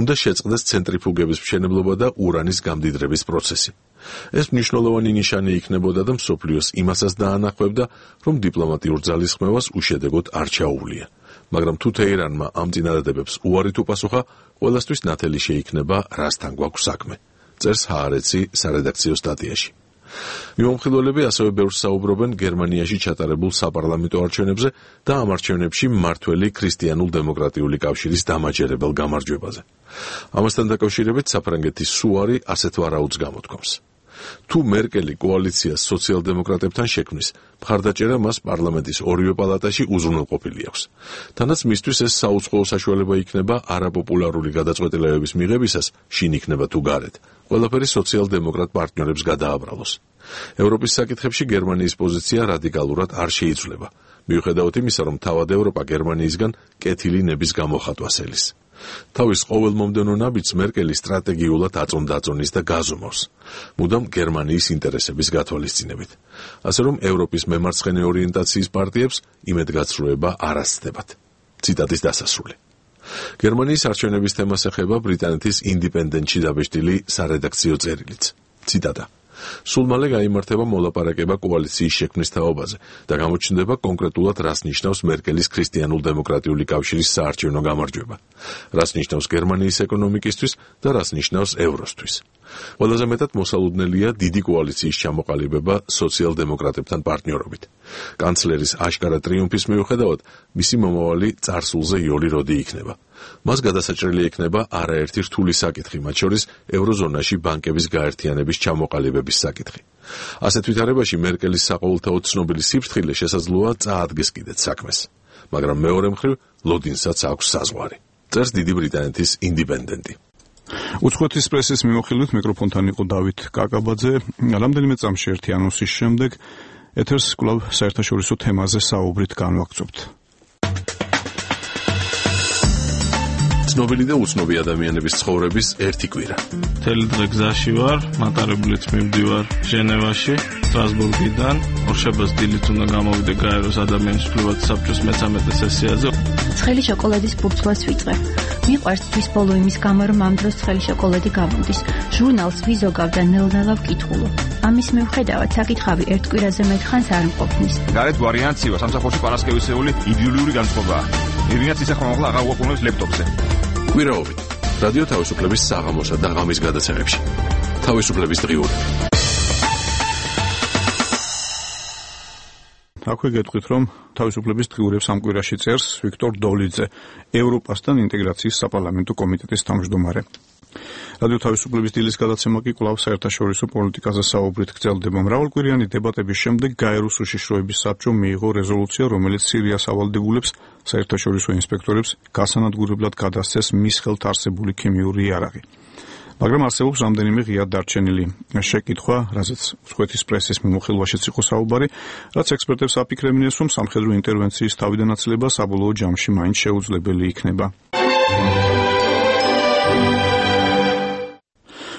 უნდა შეწყდეს ცენტრიფუგების მშენებლობა და ურანის გამდიდრების პროცესი. ეს მნიშვნელოვანი ნიშანი იქნებოდა და მსოფლიოს იმასაც დაანახავდა, რომ დიპლომატიურ ძალისხმევას უშედეგოდ არ ჩაუვლია. მაგრამ თუ თეირანმა ამ წინადადებებს უარი თუ პასუხა, ყველასთვის ნათელი შეიქნება რასთან გვაქვს საქმე. წერს ჰაარეცი სარედაქციო სტატიაში. მიმომხილველები ასევე ბევრს საუბრობენ გერმანიაში ჩატარებულ საპარლამენტო არჩევნებზე და ამ არჩევნებში მმართველი ქრისტიანულ-დემოკრატიული კავშირის დამაჯერებელ გამარჯვებაზე. ამასთან დაკავშირებით საფრანგეთის სუარი ასეთ ვარაუდს გამოთქვამს. თუ მერკელი კოალიციას სოციალ-დემოკრატებთან შექმნის, მხარდაჭერა მას პარლამენტის ორივე პალატაში უზრუნველყოფილი აქვს. თანაც მისთვის ეს საუცხოო საშუალება იქნება არაპოპულარული გადაწყვეტილებების მიღებისას, შინ იქნება თუ გარეთ, ყველაფერი სოციალ-დემოკრატ პარტნიორებს გადააბრალოს. ევროპის საკითხებში გერმანიის პოზიცია რადიკალურად არ შეიცვლება, მიუხედავად იმისა, რომ თავად ევროპა გერმანიისგან კეთილი ნების გამოხატვას ელის. თავის ყოველ მომდევნო ნაბიჯს მერკელი სტრატეგიულად აწონდაწონის და გაზომავს, მუდამ გერმანიის ინტერესების გათვალისწინებით. ასე რომ ევროპის მემარცხენე ორიენტაციის პარტიებს იმედგაცრუება არ ასწდებათ. ციტატის დასასრული. გერმანიის არჩევნების თემას ეხება ბრიტანეთის ინდიპენდენტში დაბეჭდილი სარედაქციო წერილიც. ციტატა: სულ მალე გაიმართება მოლაპარაკება კოალიციის შექმნის თაობაზე და გამოჩნდება კონკრეტულად რას ნიშნავს მერკელის ქრისტიანულ-დემოკრატიული კავშირის საარჩევნო გამარჯვება, რას ნიშნავს გერმანიის ეკონომიკისთვის და რას ნიშნავს ევროსთვის. ყველაზე მეტად მოსალოდნელია დიდი კოალიციის ჩამოყალიბება სოციალ-დემოკრატებთან პარტნიორობით. კანცლერის აშკარა ტრიუმფის მიუხედავად, მისი მომავალი წარსულზე იოლი როდი იქნება. მას გადასაჭრელი ექნება არაერთი რთული საკითხი, მათ შორის ევროზონაში ბანკების გაერთიანების ჩამოყალიბების საკითხი. ასეთ ვითარებაში მერკელის საყოველთაოდ ცნობილი სიფრთხილე შესაძლოა წაადგეს კიდეც საქმეს, მაგრამ მეორე მხრივ ლოდინსაც აქვს საზღვარი. წერს დიდი ბრიტანეთის ინდიპენდენტი. უცხოეთის პრესის მიმოხილვით მიკროფონთან იყო დავით კაკაბაძე. რამდენიმე წამში ერთი ანონსის შემდეგ ეთერს კვლავ საერთაშორისო თემაზე საუბრით განვაგრძობთ. ცნობილი და უცნობი ადამიანების ცხოვრების ერთი კვირა. მთელი დღე გზაში ვარ, მატარებლით მივდივარ ჟენევაში, სტრასბურგიდან. ორშაბათს დილით უნდა გამოვიდე გაეროს ადამიანის უფლებათა საბჭოს მე-13 სესიაზე. ცხელი შოკოლადის ბურთულას ვიწყებ. მიყვარს თვის ბოლო იმის გამო, რომ ამ დროს ცხელი შოკოლადი გამოდის. ჟურნალს ვიზოგავ და ნელ-ნელა ვკითხულობ. ამის მიუხედავად საკითხავი ერთ კვირაზე მეტ ხანს არ მყოფნის. გარეთ ვარიანციო სამსახურში პარასკევისეული იდეოლიური განწყობაა. ირინაც ისე ხომ აღარ უყურებს ლეპტოპზე. კვირაობით რადიო თავისუფლების საღამოსა და ღამის გადაცემებში. თავისუფლების დღიურები. აქვე გეტყვით, რომ თავისუფლების დღიურებს ამ კვირაში წერს ვიქტორ დოლიძე, ევროპასთან ინტეგრაციის საპარლამენტო კომიტეტის თავმჯდომარე. რადიო თავისუფლების დილის გადაცემა კი კვლავ საერთაშორისო პოლიტიკაზე საუბრით გრძელდება. მრავალკვირიანი დებატების შემდეგ გაეროს უშიშროების საბჭომ მიიღო რეზოლუცია, რომელიც სირიას ავალდებულებს საერთაშორისო ინსპექტორებს გასანადგურებლად გადასცეს მის ხელთ არსებული ქიმიური იარაღი. მაგრამ არსებობს რამდენიმე ღიად დარჩენილი შეკითხვა, რაზეც მსხვეთის პრესის მიმოხილვაშიც იყო საუბარი, რაც ექსპერტებს აფიქრებინეს, რომ სამხედრო ინტერვენციის თავიდანაცილება საბოლოო ჯამში მაინც შეუძლებელი იქნება.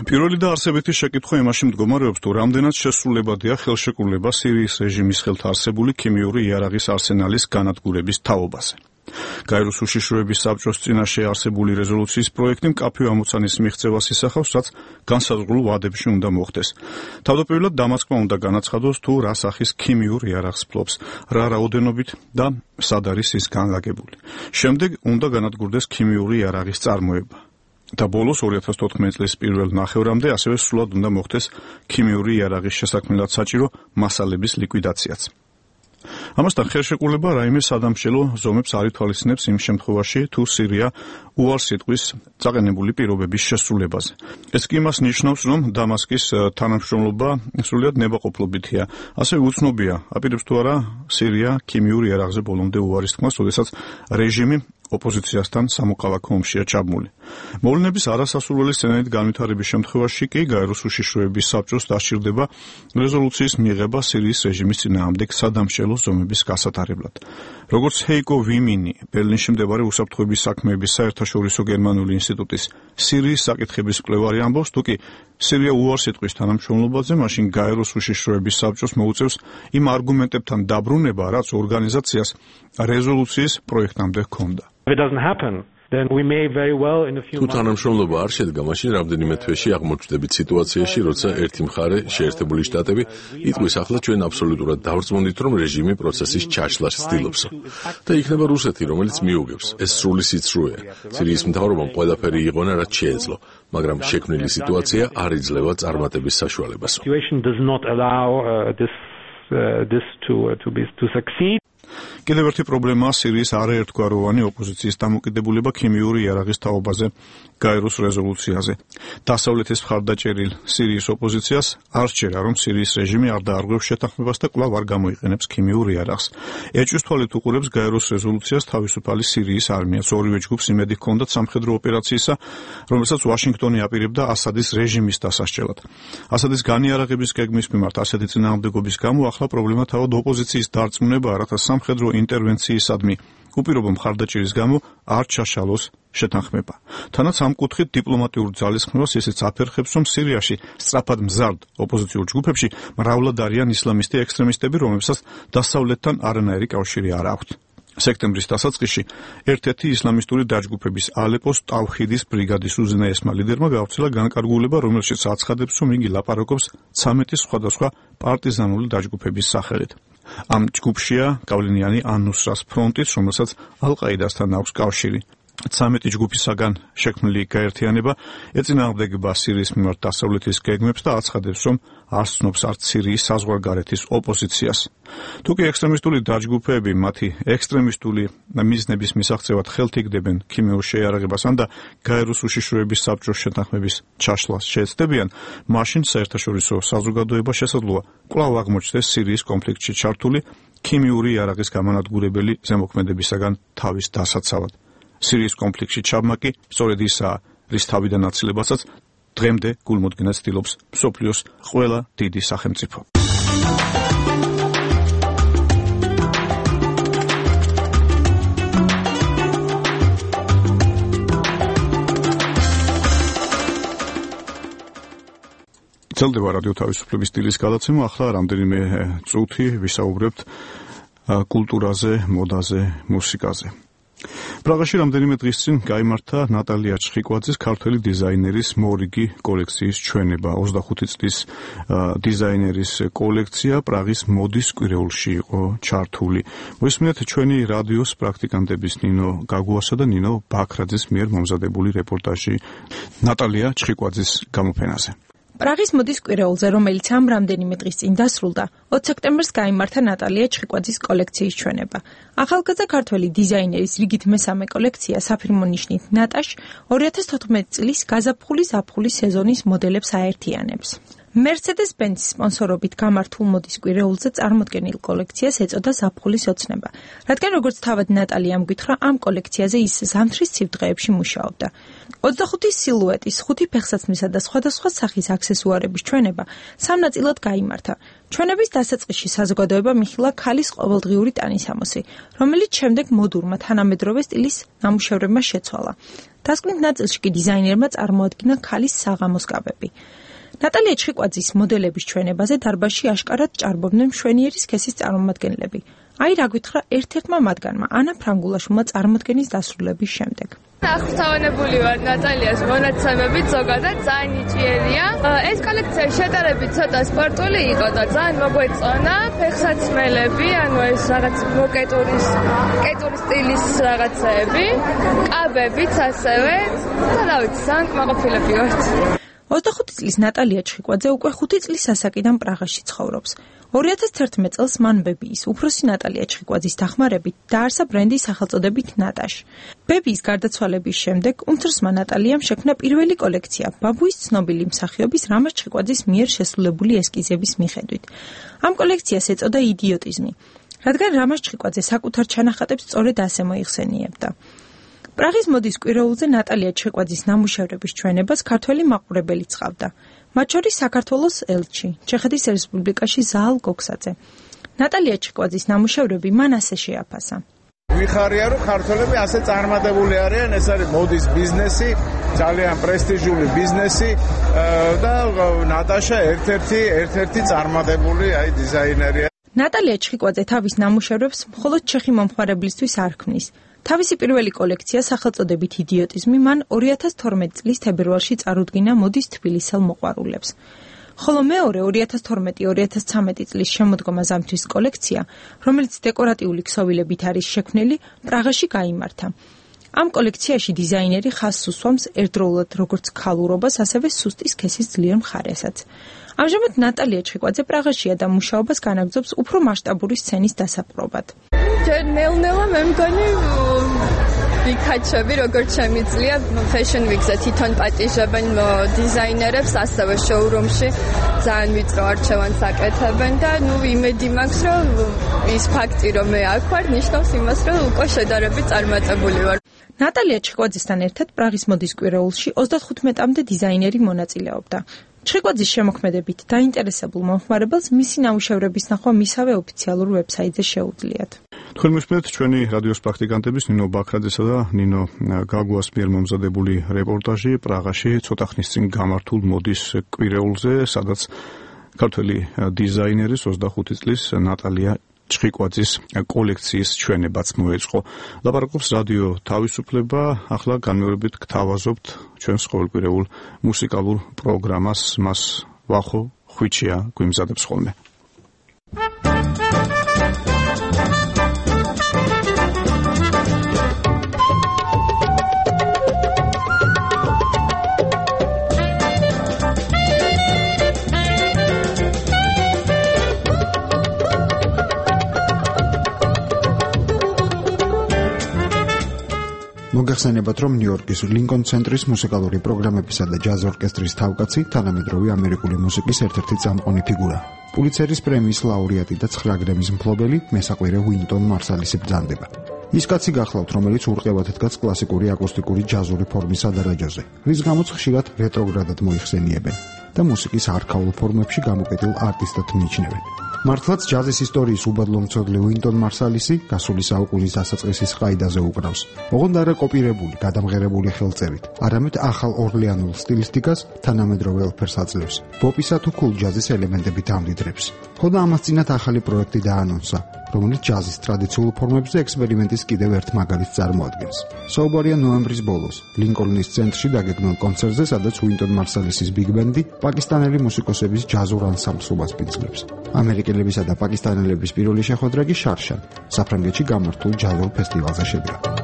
პირველი და არსებითი შეკითხვა იმაში მდგომარეობს, თუ რამდენად შესრულებადია ხელშეკრულება სირიის რეჟიმის ხელთ არსებული ქიმიური იარაღის არსენალის განადგურების თაობაზე. გაეროს უშიშროების საბჭოს წინაშე არსებული რეზოლუციის პროექტი მკაფიო ამოცანის მიღწევას ისახავს, რაც განსაზღვრულ ვადებში უნდა მოხდეს. თავდაპირველად დამასკმა უნდა განაცხადოს, თუ რა სახის ქიმიურ იარაღს ფლობს, რა რაოდენობით და სად არის ის განლაგებული. შემდეგ უნდა განადგურდეს ქიმიური იარაღის წარმოება. და ბოლოს 2014 წლის პირველ ნახევრამდე ასევე სრულად უნდა მოხდეს ქიმიური იარაღის შესაქმნელად საჭირო მასალების ლიკვიდაციაც. ამასთან ხელშეკრულება რაიმე სადამშელო ზომებს არ ითვალისწინებს იმ შემთხვევაში, თუ სირია უარს იტყვის წაყენებული პირობების შესრულებაზე. ეს კი იმას ნიშნავს, რომ დამასკის თანამშრომლობა სრულიად ნებაყოფლობითია. ასევე უცნობია, აპირებს თუ არა სირია ქიმიურ იარაღზე ბოლომდე უარის თქმას, როდესაც რეჟიმი ოპოზიციასთან სამოქალაქო ომშია ჩაბმული. მოვლენების არასასურველი სცენარით განვითარების შემთხვევაში კი გაეროს უშიშროების საბჭოს დასჭირდება რეზოლუციის მიღება სირიის რეჟიმის წინააღმდეგ სადამშელო ზომების გასატარებლად. როგორც ჰეიკო ვიმინი, ბერლინში მდებარე უსაფრთხოების საქმეების საერთაშორისო გერმანული ინსტიტუტის სირიის საკითხების მკვლევარი ამბობს, თუ კი სირია უარს იტყვის თანამშრომლობაზე, მაშინ გაეროს უშიშროების საბჭოს მოუწევს იმ არგუმენტებთან დაბრუნება, რაც ორგანიზაციას რეზოლუციის პროექტამდე ჰქონდა. თუ თანამშრომლობა არ შედგა, მაშინ რამდენიმე თვეში აღმოჩნდებით სიტუაციაში, როცა ერთი მხარე, შეერთებული შტატები, იტყვის ახლა ჩვენ აბსოლუტურად დავრწმუნდით, რომ რეჟიმი პროცესის ჩაშლას ცდილობს. და იქნება რუსეთი, რომელიც მიუგებს. ეს სრული სიცრუეა. სირიის მთავრობამ ყველაფერი იღონა, რაც შეეძლო, მაგრამ შექმნილი სიტუაცია არ იძლევა წარმატების საშუალებას. კიდევ ერთი პრობლემაა სირიის არაერთგვაროვანი ოპოზიციის დამოკიდებულება ქიმიური იარაღის თაობაზე გაეროს რეზოლუციაზე. დასავლეთის მხარდაჭერილ სირიის ოპოზიციას არ სჯერა, რომ სირიის რეჟიმი არ დაარღვევს შეთანხმებას და კვლავ არ გამოიყენებს ქიმიურ იარაღს. ეჭვის თვალით უყურებს გაეროს რეზოლუციას თავისუფალი სირიის არმიაც. ორივე ჯგუფს იმედი ჰქონდათ სამხედრო ოპერაციისა, რომელსაც ვაშინგტონი აპირებდა ასადის რეჟიმის დასასჯელად. ასადის განიარაღების გეგმის მიმართ ასეთი წინააღმდეგობის გამო ახლა პრობლემა თავად ოპოზიციის დარწმუნებაა, რათა სამხედრო ინტერვენციისადმი უპირობო მხარდაჭერის გამო არ ჩაშალოს შეთანხმება. თანაც ამ კუთხით დიპლომატიურ ძალისხმევას ისიც აფერხებს, რომ სირიაში სწრაფად მზარდ ოპოზიციურ ჯგუფებში მრავლად არიან ისლამისტი ექსტრემისტები, რომლებსაც დასავლეთთან არანაირი კავშირი არ აქვთ. სექტემბრის დასაწყისში ერთ-ერთი ისლამისტური დაჯგუფების ალეპოს ტავჰიდის ბრიგადის უზენაესმა ლიდერმა გავრცელა განკარგულება, რომელშიც აცხადებს, რომ იგი ლაპარაკობს 13 სხვადასხვა პარტიზანული დაჯგუფების სახელით. ამ ჯგუფშია გავლენიანი ან-ნუსრას ფრონტიც, რომელსაც ალ-ყაიდასთან აქვს კავშირი. 13 ჯგუფისაგან შექმნილი გაერთიანება ეწინააღმდეგება სირიის მიმართ დასავლეთის გეგმებს და აცხადებს, რომ არ ცნობს არც სირიის საზღვარგარეთის ოპოზიციას. თუკი ექსტრემისტული დაჯგუფები მათი ექსტრემისტული მიზნების მისაღწევად ხელთიგდებენ ქიმიურ შეიარაღებასთან და გაეროს უშიშროების საბჭოს შეთანხმების ჩაშლას შეეცდებიან, მაშინ საერთაშორისო საზოგადოება შესაძლოა კვლავ აღმოჩნდეს სირიის კონფლიქტში ჩართული ქიმიური იარაღის გამანადგურებელი ზემოქმედებისაგან თავის დასაცავად. სირიის კონფლიქტში ჩაბმა კი სწორედ ისაა, რის თავიდანაცილებასაც დღემდე გულმოდგინედ ცდილობს მსოფლიოს ყველა დიდი სახელმწიფო. ძლდება რადიო თავისუფლების დილის გადაცემა. ახლა რამდენიმე წუთი ვისაუბრებთ კულტურაზე, მოდაზე, მუსიკაზე. პრაღაში რამდენიმე დღის წინ გაიმართა ნატალია ჩხიკვაძის ქართველი დიზაინერის მორიგი კოლექციის ჩვენება. 25 წლის დიზაინერის კოლექცია პრაღის მოდის კვირეულში იყო ჩართული. მოისმინეთ ჩვენი რადიოს პრაქტიკანტების ნინო გაგუასა და ნინო ბაქრაძის მიერ მომზადებული რეპორტაჟი ნატალია ჩხიკვაძის გამოფენაზე. პრაღის მოდის კვირეულზე, რომელიც ამ რამდენიმე დღის წინ დასრულდა, 20 სექტემბერს გაიმართა ნატალია ჩხიკვაძის კოლექციის ჩვენება. ახალგაზრდა ქართველი დიზაინერის რიგით მესამე კოლექცია საფირმო ნიშნით ნატაშ 2014 წლის გაზაფხულის სეზონის მოდელებს აერთიანებს. Mercedes-Benz სპონსორობით გამართულ მოდის კვირეულზე წარმოდგენილ კოლექციას ეწოდა ზაფხულის ოცნება, რადგან როგორც თავად ნატალიამ გითხრა, ამ კოლექციაზე ის ზამთრის ცივ-დღეებში მუშაობდა. 25 სილუეტის, 5 ფეხსაცმლისა და სხვადასხვა სახის აქსესუარების ჩვენება სამ ნაწილად გაიმართა. ჩვენების დასაწყისში საზოგადოება მიხილა ქალის ყოველდღიური ტანისამოსი, რომელიც შემდეგ მოდურმა თანამედროვე სტილის ნამუშევრებმა შეცვალა. დასკვნით ნაწილში კი დიზაინერმა წარმოადგინა ქალის საღამოს კაბები. ნატალია ჩხიკვაძის მოდელების ჩვენებაზე დარბაზში აშკარად ჭარბობდნენ მშვენიერი სქესის წარმომადგენლები. აი რა გითხრა ერთ-ერთმა მათგანმა, ანა ფრანგულაშვილმა წარმოდგენის დასრულების შემდეგ. აღფრთოვანებული ვარ ნატალიას მონაცემებით, ზოგადად ძალიან ნიჭიერია. ეს კოლექცია შედარებით ცოტა სპორტული იყო და ძალიან მოგვეწონა. ფეხსაცმელები, ანუ ეს რაღაც კეტური სტილის რაღაცები, კაბებიც ასევე. და ვიცი, ძალიან კმაყოფილები ვართ. 25 წლის ნატალია ჩხიკვაძე უკვე 5 წლის ასაკიდან პრაღაში ცხოვრობს. 2011 წელს მან ბებიის, უფროსი ნატალია ჩხიკვაძის დახმარებით დაარსა ბრენდი სახელწოდებით ნატაშ. ბებიის გარდაცვალების შემდეგ უმცროსმა ნატალიამ შექმნა პირველი კოლექცია ბაბუის ცნობილი მსახიობის რამაზ ჩხიკვაძის მიერ შესრულებული ესკიზების მიხედვით. ამ კოლექციას ეწოდა იდიოტიზმი, რადგან რამაზ ჩხიკვაძე საკუთარ ჩანახატებს სწორედ ასე მოიხსენიებდა. პრაღის მოდის კვირეულზე ნატალია ჩხიკვაძის ნამუშევრების ჩვენებას ქართველი მაყურებელი ცხავდა. მათ შორის საქართველოს ელჩი, ჩეხეთის რესპუბლიკაში ზაალ გოქსაძე. ნატალია ჩხიკვაძის ნამუშევრები მან ასე შეაფასა. ვიხარია, რომ ქართველები ასე წარმატებული არიან, ეს არის მოდის ბიზნესი, ძალიან პრესტიჟული ბიზნესი და ნატაშა ერთ-ერთი წარმატებული დიზაინერია. ნატალია ჩხიკვაძე თავის ნამუშევრებს მხოლოდ ჩეხი მომხმარებლისთვის არ ქმნის. თავისი პირველი კოლექცია სახელწოდებით იდიოტიზმი მან 2012 წლის თებერვალში წარუდგინა მოდის თბილისელ მოყვარულებს. ხოლო მეორე 2012-2013 წლის შემოდგომა ზამთრის კოლექცია, რომელიც დეკორატიული ქსოვილებით არის შექმნილი, პრაღაში გაიმართა. ამ კოლექციაში დიზაინერი ხაზს უსვამს ერთდროულად როგორც ქალურობას, ასევე სუსტი სქესის ძლიერ მხარესაც. ამჟამად ნატალია ჩხიკვაძე პრაღაშია და მუშაობას განაგრძობს უფრო მასშტაბური სცენის დასაპყრობად. ჯერ ნელ-ნელა მე მგონი ვიქაჩები, როგორც შემიძლია Fashion Week-ზე თვითონ პატიჟებენ დიზაინერებს, ასევე შოურუმში ძალიან ვიწრო არჩევანს აკეთებენ და იმედი მაქვს, რომ ის ფაქტი, რომ მე აქ ვარ, ნიშნავს იმას, რომ უკვე შედარებით წარმატებული ვარ. ნატალია ჩხიკვაძესთან ერთად პრაღის მოდის კვირეულში 35-მდე დიზაინერი მონაწილეობდა. ჩხიკვაძის შემოქმედებით დაინტერესებულ მომხმარებელს მისი ნამუშევრების ნახვა მისავე ოფიციალურ ვებსაიტზე შეუძლიათ. თქვენ მისმენთ ჩვენი რადიოს პრაქტიკანტების ნინო ბაქრაძესა და ნინო გაგუას მიერ მომზადებული რეპორტაჟი პრაღაში ცოტა ხნის წინ გამართულ მოდის კვირეულზე, სადაც ქართველი დიზაინერის 25 წლის ნატალია ჩხიკვაძის კოლექციის ჩვენებაც მოეწყო. ლაპარაკობს რადიო თავისუფლება, ახლა განმეორებით გთავაზობთ ჩვენს ყოველკვირეულ მუსიკალურ პროგრამას, მას ვახო ხვიჩია გვიმზადებს ხოლმე. მოგეხსენებათ, რომ ნიუ-იორკის ლინკონ ცენტრის მუსიკალური პროგრამებისა და ჯაზ ორკესტრის თავკაცი, თანამედროვე ამერიკული მუსიკის ერთ-ერთი წამყვანი ფიგურა. პულიცერის პრემიის ლაურეატი და 9 გრემის მფლობელი, მესაყვირე უინტონ მარსალისი ბრძანდება. ის კაცი გახლავთ, რომელიც ურყევად დგას კლასიკური აკუსტიკური ჯაზური ფორმის ადარაჯოზე, რის გამოც ხშირად რეტროგრადად მოიხსენიებენ და მუსიკის არქაულ ფორმებში გამოკეტილ არტისტად მიიჩნევენ. მართლაც ჯაზის ისტორიის უბადლო მცოდნე უინტონ მარსალისი გასული საუკუნის დასაწყისის ყაიდაზე უკრავს. ოღონდ არა კოპირებული, გადამღერებული ხელწერით, არამედ ახალ ორლეანულ სტილისტიკას თანამედროვე ელფერს აძლევს. პოპისა თუ კულ ჯაზის ელემენტებით ამდიდრებს. ხოდა ამას წინათ ახალი პროექტი დაანონსა. რომელიც ჯაზის ტრადიციულ ფორმებზე ექსპერიმენტის კიდევ ერთ მაგალითს წარმოადგენს. საუბარია ნოემბრის ბოლოს ლინკოლნის ცენტრში დაგეგმილ კონცერტზე, სადაც უინტონ მარსალისის ბიგ ბენდი პაკისტანელი მუსიკოსების ჯაზურ ანსამბლს უპასპინძლებს. ამერიკელებისა და პაკისტანელების პირველი შეხვედრა კი შარშან, საფრანგეთში გამართულ ჯაზურ ფესტივალზე შედგა.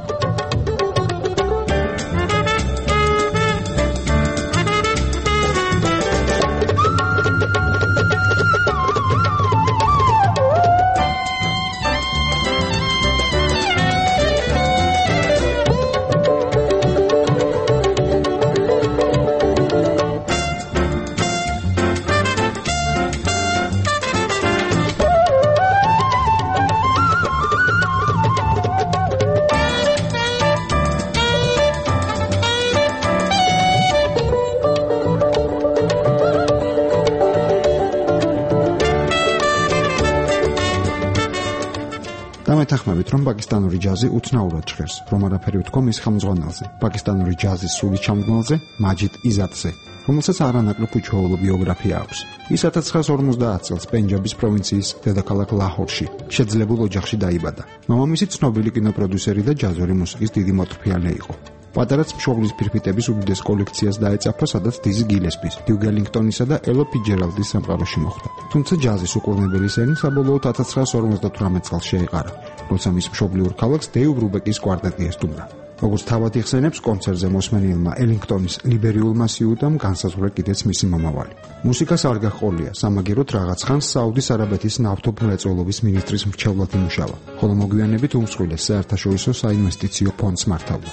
მეთანხმებით, რომ პაკისტანური ჯაზი უცნაურად ჟღერს, რომ არაფერი ვთქვა მის ხელმძღვანელზე, პაკისტანური ჯაზის სული ჩამდგმელზე, მაჯიდ იზატზე, რომელსაც არანაკლებ უჩვეულო ბიოგრაფია აქვს. ის 1950 წელს პენჯაბის პროვინციის დედაქალაქ ლაჰორში შეძლებულ ოჯახში დაიბადა. მამამისი ცნობილი კინოპროდიუსერი და ჯაზური მუსიკის დიდი მოწვეული იყო. პატარაც მშობლის ფირფიტების უდიდეს კოლექციას დაეწაფა, სადაც დიზი გილესპის, დიუგ ელინგტონისა და ელო ფიჯერალდის სამყაროში მოხვდა. თუმცა ჯაზის უკურნებელი სენი საბოლოოდ 1958 წელს შეეყარა, როცა მის მშობლიურ ქალაქს დეივ ბრუბეკის კვარტეტი ესტუმრა. როგორც თავად იხსენებს, კონცერტზე მოსმენილმა ელინგტონის ლიბერიულმა სიუტამ განსაზღვრა კიდეც მისი მომავალი. მუსიკას არ გაჰყოლია, სამაგეროდ რაღაც ხანს საუდის არაბეთის ნავთობმრეწველობის მინისტრის მრჩევლად იმუშავა, ხოლო მოგვიანებით უმსხვილეს საერთაშორისო საინვესტიციო ფონდს მართავდა.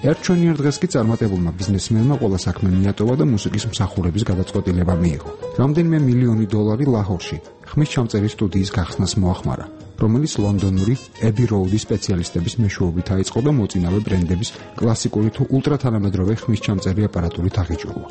ერთჩვენიერ დღეს კი წარმატებულმა ბიზნესმენმა ყველა საქმე მიატოვა და მუსიკის მსახურების გადაწყვეტილება მიიღო. რამდენიმე მილიონი დოლარი ლაჰორში ხმის ჩამწერის სტუდიის გახსნას მოახმარა, რომელიც ლონდონური ები როუდის სპეციალისტების მეშვეობით აიწყო და მოწინავე ბრენდების კლასიკური თუ ულტრათანამედროვე ხმის ჩამწერი აპარატურით აღიჭურვა.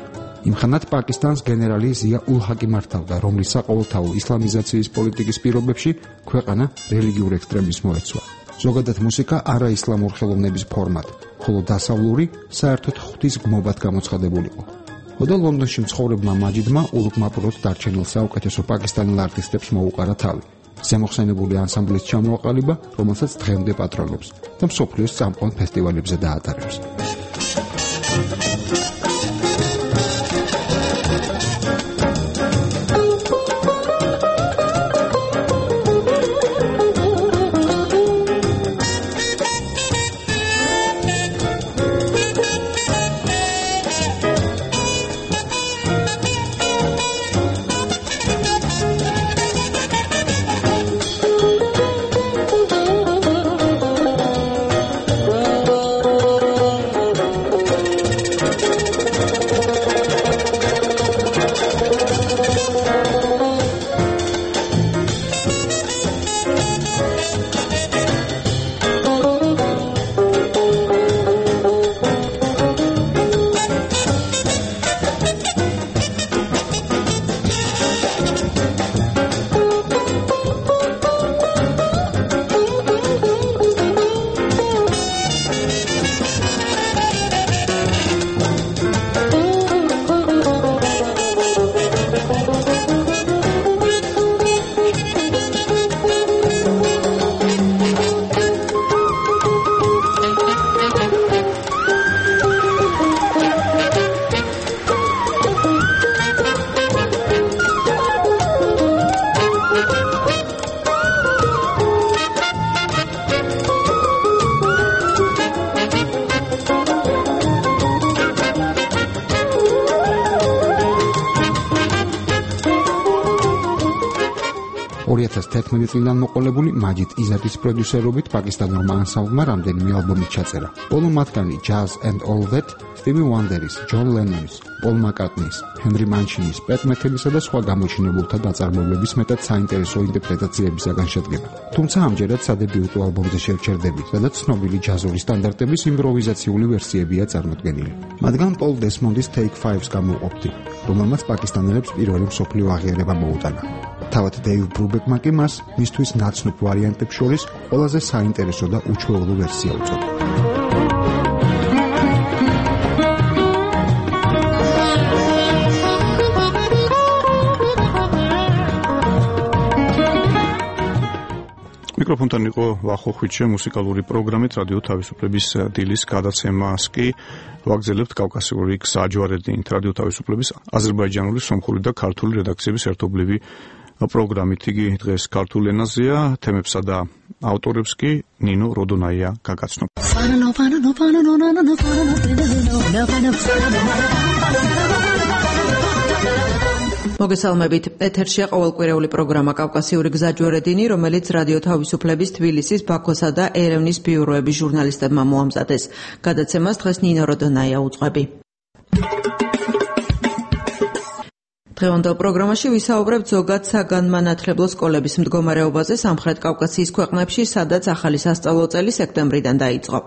იმხანად პაკისტანს გენერალი ზია ულ ჰაკი მართავდა, რომლის საყოველთაო ისლამიზაციის პოლიტიკის პირობებში ქვეყანა რელიგიურ ექსტრემიზმს მოეცვა. ზოგადად მუსიკა არაისლამურ ხელოვნების ფორმად, ხოლო დასავლური საერთოდ ღვთის გმობად გამოცხადებულიყო. ხოდა ლონდონში მცხოვრებმა მაჯიდმა ულუკმაპროდ დარჩენილ საუკეთესო პაკისტანელ არტისტებს მოუყარა თავი. ზემოხსენებული ანსამბლის ჩამოაყალიბა, რომელსაც დღემდე პატრონობს და მსოფლიოს წამყვან ფესტივალებზე დაატარებს. წლიდან მოყოლებული მაჯიდ იზატის პროდიუსერობით პაკისტანურმა ანსამბლმა რამდენიმე ალბომი ჩაწერა. ბოლო მათგანი Jazz and All That, Stevie Wonderis, John Lennonis, Paul McCartney's, Henry Manchinis, Pat Methelis და სხვა გამოჩინებულთა ნაწარმოებების მეტად საინტერესო ინტერპრეტაციებისაგან შედგება. თუმცა ამჯერად სადებიუტო ალბომზე შევჩერდებით, სადაც ცნობილი ჯაზური სტანდარტების იმპროვიზაციული ვერსიებია წარმოდგენილი. მათგან Paul Desmond's Take 5-ს გამოვყოფდი, რომელმაც პაკისტანელებს პირველი მსოფლიო აღიარება მოუტანა. თავად დეივ ბრუბეკმა კი მას მისთვის ნაცნობ ვარიანტებს შორის ყველაზე საინტერესო და უჩვეულო ვერსია უწოდა. მიკროფონთან იყო ვახო ხვიჩე, მუსიკალური პროგრამით რადიო თავისუფლების დილის გადაცემას კი ვაგრძელებთ კავკასიური გზაჯვარედინით რადიო თავისუფლების აზერბაიჯანული, სომხური და ქართული რედაქციების ერთობლივი პროგრამით. იგი დღეს ქართულ ენაზეა, თემებსა და ავტორებს კი ნინო როდონაია გაგაცნობ. მოგესალმებით. ეთერშია ყოველკვირეული პროგრამა კავკასიური გზაჯვარედინი, რომელიც რადიო თავისუფლების თბილისის, ბაქოსა და ერევნის ბიუროების ჟურნალისტებმა მოამზადეს. გადაცემას დღეს ნინო როდონაია უძღვები. დღევანდელ პროგრამაში ვისაუბრებთ ზოგად საგანმანათლებლო სკოლების მდგომარეობაზე სამხრეთ კავკასიის ქვეყნებში, სადაც ახალი სასწავლო წელი სექტემბრიდან დაიწყო.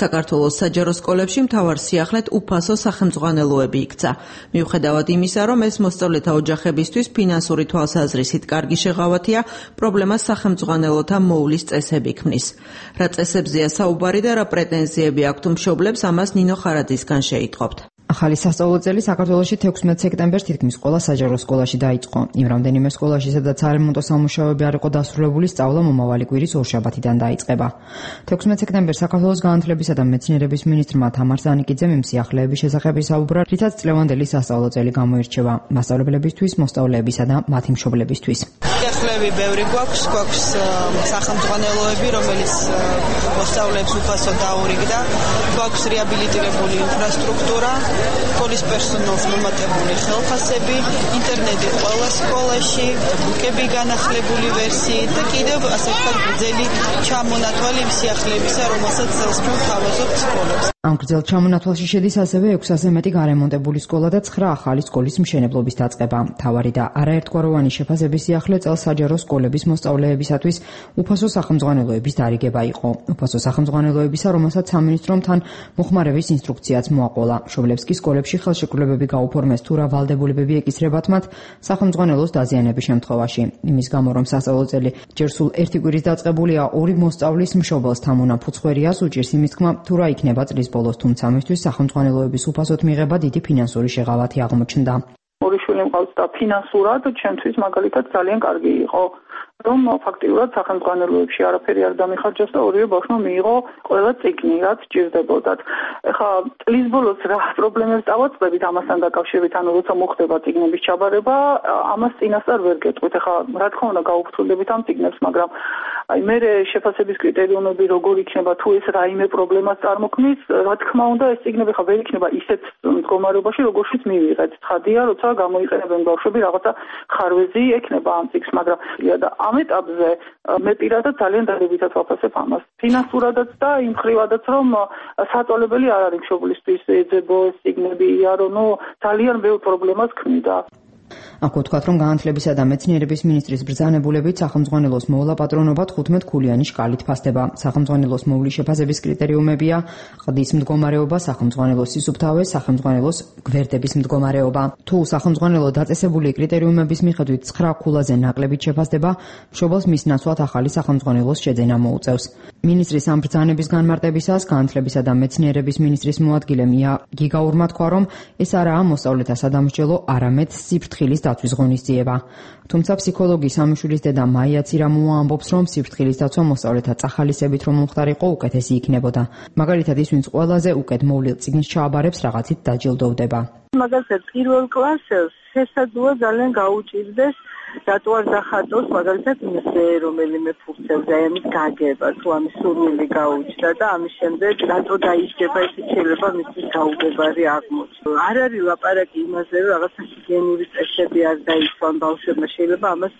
საქართველოს საჯარო სკოლებში მთავარ სიახლედ უფასო სახელმძღვანელოები იქცა. მიუხედავად იმისა, რომ ეს მოსწავლეთა ოჯახებისთვის ფინანსური თვალსაზრისით კარგი შეღავათია, პრობლემას სახელმძღვანელოთა მოულის წესები ქმნის. რა წესებზეა საუბარი და რა პრეტენზიები აქვთ მშობლებს, ამას ნინო ხარაძისგან შეიტყობთ. ახალი სასწავლო წელი საქართველოში 16 სექტემბერს თითქმის ყველა საჯარო სკოლაში დაიწყო. იმ რამდენიმე სკოლაში, სადაც სარემონტო სამუშაოები არ იყო დასრულებული, სწავლა მომავალი კვირის ორშაბათიდან დაიწყება. 16 სექტემბერს საქართველოს განათლებისა და მეცნიერების მინისტრმა თამარ ზანიკიძემ იმ სიახლეების შესახებ ისაუბრა, რითაც წლევანდელი სასწავლო წელი გამოირჩევა მასწავლებლებისთვის, მოსწავლეებისა და მათი მშობლებისთვის. სიახლეები ბევრი გვაქვს სახელმძღვანელოები, რომელიც მოსწავლეებს უფასოდ დაურიგდა, გვაქვს რეაბილიტირებული ინფრასტრუქტურა, სკოლის პერსონალს მომატებული ხელფასები, ინტერნეტი ყველა სკოლაში, ბუკები განახლებული ვერსიით და კიდევ ასე ვთქვათ გრძელი ჩამონათვალი იმ სიახლეებისა, რომელსაც წელს თავაზობთ სკოლებს. ამ გრძელ ჩამონათვალში შედის ასევე 600-ზე მეტი გარემონტებული სკოლა და 9 ახალი სკოლის მშენებლობის დაწყება. მთავარი და არაერთგვაროვანი შეფასების სიახლე წელს საჯარო სკოლების მოსწავლეებისათვის უფასო სახელმძღვანელოების დარიგება იყო. უფასო სახელმძღვანელოებისა, რომელსაც სამინისტრომ თან მოხმარების ინსტრუქციაც მოაყოლა. მშობლებს კი სკოლებში ხელშეკრულებები გაუფორმეს თუ რა ვალდებულებები ეკისრებათ მათ სახელმძღვანელოს დაზიანების შემთხვევაში. იმის გამო, რომ სასწავლო წელი ჯერ სულ 1 კვირის დაწყებულია, 2 მოსწავლის მშობელს თამონაფუძხვერიას უჭირს იმის თქმა, თუ რა იქნება წლის ბოლოს, თუმცა მისთვის სახელმძღვანელოების უფასოდ მიღება დიდი ფინანსური შეღავათი აღმოჩნდა. ორი შვილი მყავს და ფინანსურად ჩემთვის მაგალითად ძალიან კარგი იყო, რომ ფაქტიურად სახელმძღვანელოებში არაფერი არ დამიხარჯეს და ორივე ბავშვმა მიიღო ყველა წიგნი, რაც ჭირდებოდათ. ეხლა წლის ბოლოს რა პრობლემებს დავაწყდებით ამასთან დაკავშირებით, ანუ როცა მოხდება წიგნების ჩაბარება, ამას წინასწარ ვერ გეტყვით. ეხლა რა თქმა უნდა გავუფრთხილდებით ამ წიგნებს, მაგრამ აი მე შეფასების კრიტერიუმები როგორ იქნება, თუ ეს რაიმე პრობლემას წარმოქმნის, რა თქმა უნდა ეს წიგნები ხა ვერ იქნება ისეთ მდგომარეობაში, როგორშიც მივიღეთ. ცხადია, როცა გამოიყენებენ ბავშვები რაღაცა ხარვეზი ექნება ამ წიგნს, მაგრამ და ამ ეტაპზე მე პირადად ძალიან დადებითად ვაფასებ ამას. ფინანსურადაც და იმ ხრივადაც, რომ საწოლებელი არ არის მშობლისთვის ეძებო ეს წიგნები, ანუ ძალიან ბევრ პრობლემას ქმნიდა. აქვე ვთქვათ, რომ განათლებისა და მეცნიერების მინისტრის ბრძანებულებით სახელმძღვანელოს მოვლა პატრონობა 15 ქულიანი შკალით ფასდება. სახელმძღვანელოს მოვლის შეფასების კრიტერიუმებია: ყდის მდგომარეობა, სახელმძღვანელოს სისუფთავე, სახელმძღვანელოს გვერდების მდგომარეობა. თუ სახელმძღვანელო დაწესებული კრიტერიუმების მიხედვით 9 ქულაზე ნაკლებით შეფასდება, მშობელს მის ნაცვლად ახალი სახელმძღვანელოს შეძენა მოუწევს. მინისტრის ამ ბრძანების განმარტებისას განათლებისა და მეცნიერების მინისტრის მოადგილე მია გიგაურმა თქვა, რომ ეს არაა მოსწავლეთა სადამსჯელო, არამედ სიფრთხილის დაცვის ღონისძიება. თუმცა ფსიქოლოგი სამიშვილის დედა მაია ცირამოა ამბობს, რომ სიფრთხილის დაცვა მოსწავლეთა წახალისებით რომ მომხდარიყო, უკეთესი იქნებოდა. მაგალითად ის, ვინც ყველაზე უკეთ მოვლილ წიგნს ჩააბარებს, რაღაცით დაჯილდოვდება. მაგალითად პირველ კლასელს შესაძლოა ძალიან გაუჭირდეს რატო არ დახატოს მაგალითად იმაზე რომელიმე ფურცელზე ამის გაგება, თუ ამის სურვილი გაუჩნდა და ამის შემდეგ რატო დაიშება, ეს შეიძლება მისთვის გაუგებარი აღმოჩნდა. არ არის ლაპარაკი იმაზე, რომ რაღაცა ჰიგიენური წესები არ დაიცვან ბავშვებმა, შეიძლება ამას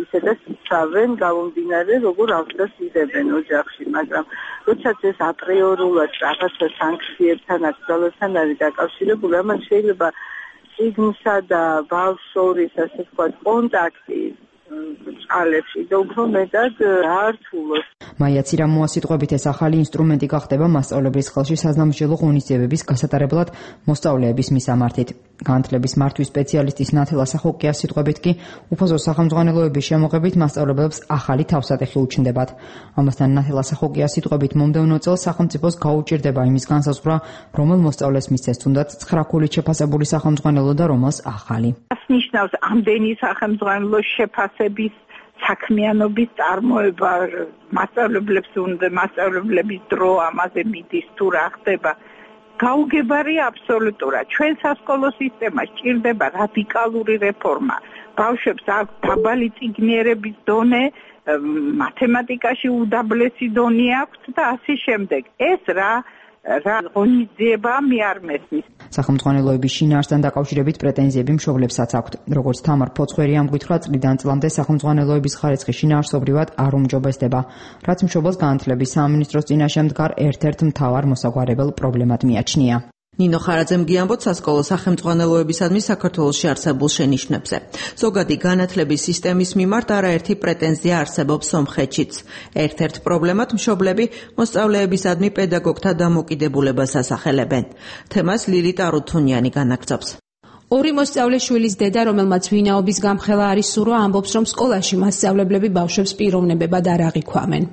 ისედაც იცავენ გამომდინარე, როგორ აღდგას იღებენ ოჯახში, მაგრამ როდესაც ეს აპრიორულად რაღაცა სანქციებთან, აკრძალვასთან არის დაკავშირებული, ამან შეიძლება წიგნსა და ბავშვს შორის, ასე ვთქვათ, კონტაქტი წყალებში და უფრო მეტად აართულოს. მაია ცირამოა სიტყვებით ეს ახალი ინსტრუმენტი გახდება მასწავლებლის ხელში საზამთრელო ღონისძიებების გასატარებლად მოსწავლეების მისამართით. განათლების მართვის სპეციალისტის ნათელა სახოკიას სიტყვებით კი უფასო სახელმძღვანელოების შემოღებით მასწავლებლებს ახალი თავსატეხი უჩნდებათ. ამასთან ნათელა სახოკიას სიტყვებით მომდევნო წელს სახელმწიფოს გაუჭირდება იმის განსაზღვრა, რომელ მოსწავლეს მისცეს თუნდაც 9 ქულით შეფასებული სახელმძღვანელო და რომელს ახალი. ნიშნავს ამდენი სახელმძღვანელოს შეფასების საქმიანობის წარმოება, მასწავლებლების დრო ამაზე მიდის თუ რა ხდება. გაუგებარია აბსოლუტურად. ჩვენ სასკოლო სისტემას ჭირდება რადიკალური რეფორმა. ბავშვებს აქვს დაბალი წიგნიერების დონე, მათემატიკაში უდაბლესი დონე აქვს და ასე შემდეგ. ეს რა ღონისძიება მე არ მესმის. სახელმძღვანელოების შინაარსთან დაკავშირებით პრეტენზიები მშობლებსაც აქვთ. როგორც თამარ ფოცხვერი ამგვითხა, წლიდან წლამდე სახელმძღვანელოების ხარისხი შინაარსობრივად არ უმჯობესდება, რაც მშობელს განათლების სამინისტროს წინაშე მდგარ ერთ-ერთ მთავარ მოსაგვარებელ პრობლემად მიაჩნია. ნინო ხარაძემ გიამბოთ სასკოლო სახელმძღვანელოებისადმი საქართველოში არსებულ შენიშვნებზე. ზოგადი განათლების სისტემის მიმართ არაერთი პრეტენზია არსებობს სომხეთშიც. ერთ-ერთ პრობლემად მშობლები მოსწავლეებისადმი პედაგოგთა დამოკიდებულებას ასახელებენ. თემას ლილიტ არუთუნიანი განაგრძობს. ორი მოსწავლე შვილის დედა, რომელმაც ვინაობის გამხელა არის სურვა, ამბობს, რომ სკოლაში მასწავლებლები ბავშვებს პიროვნებებად არ აღიქვამენ.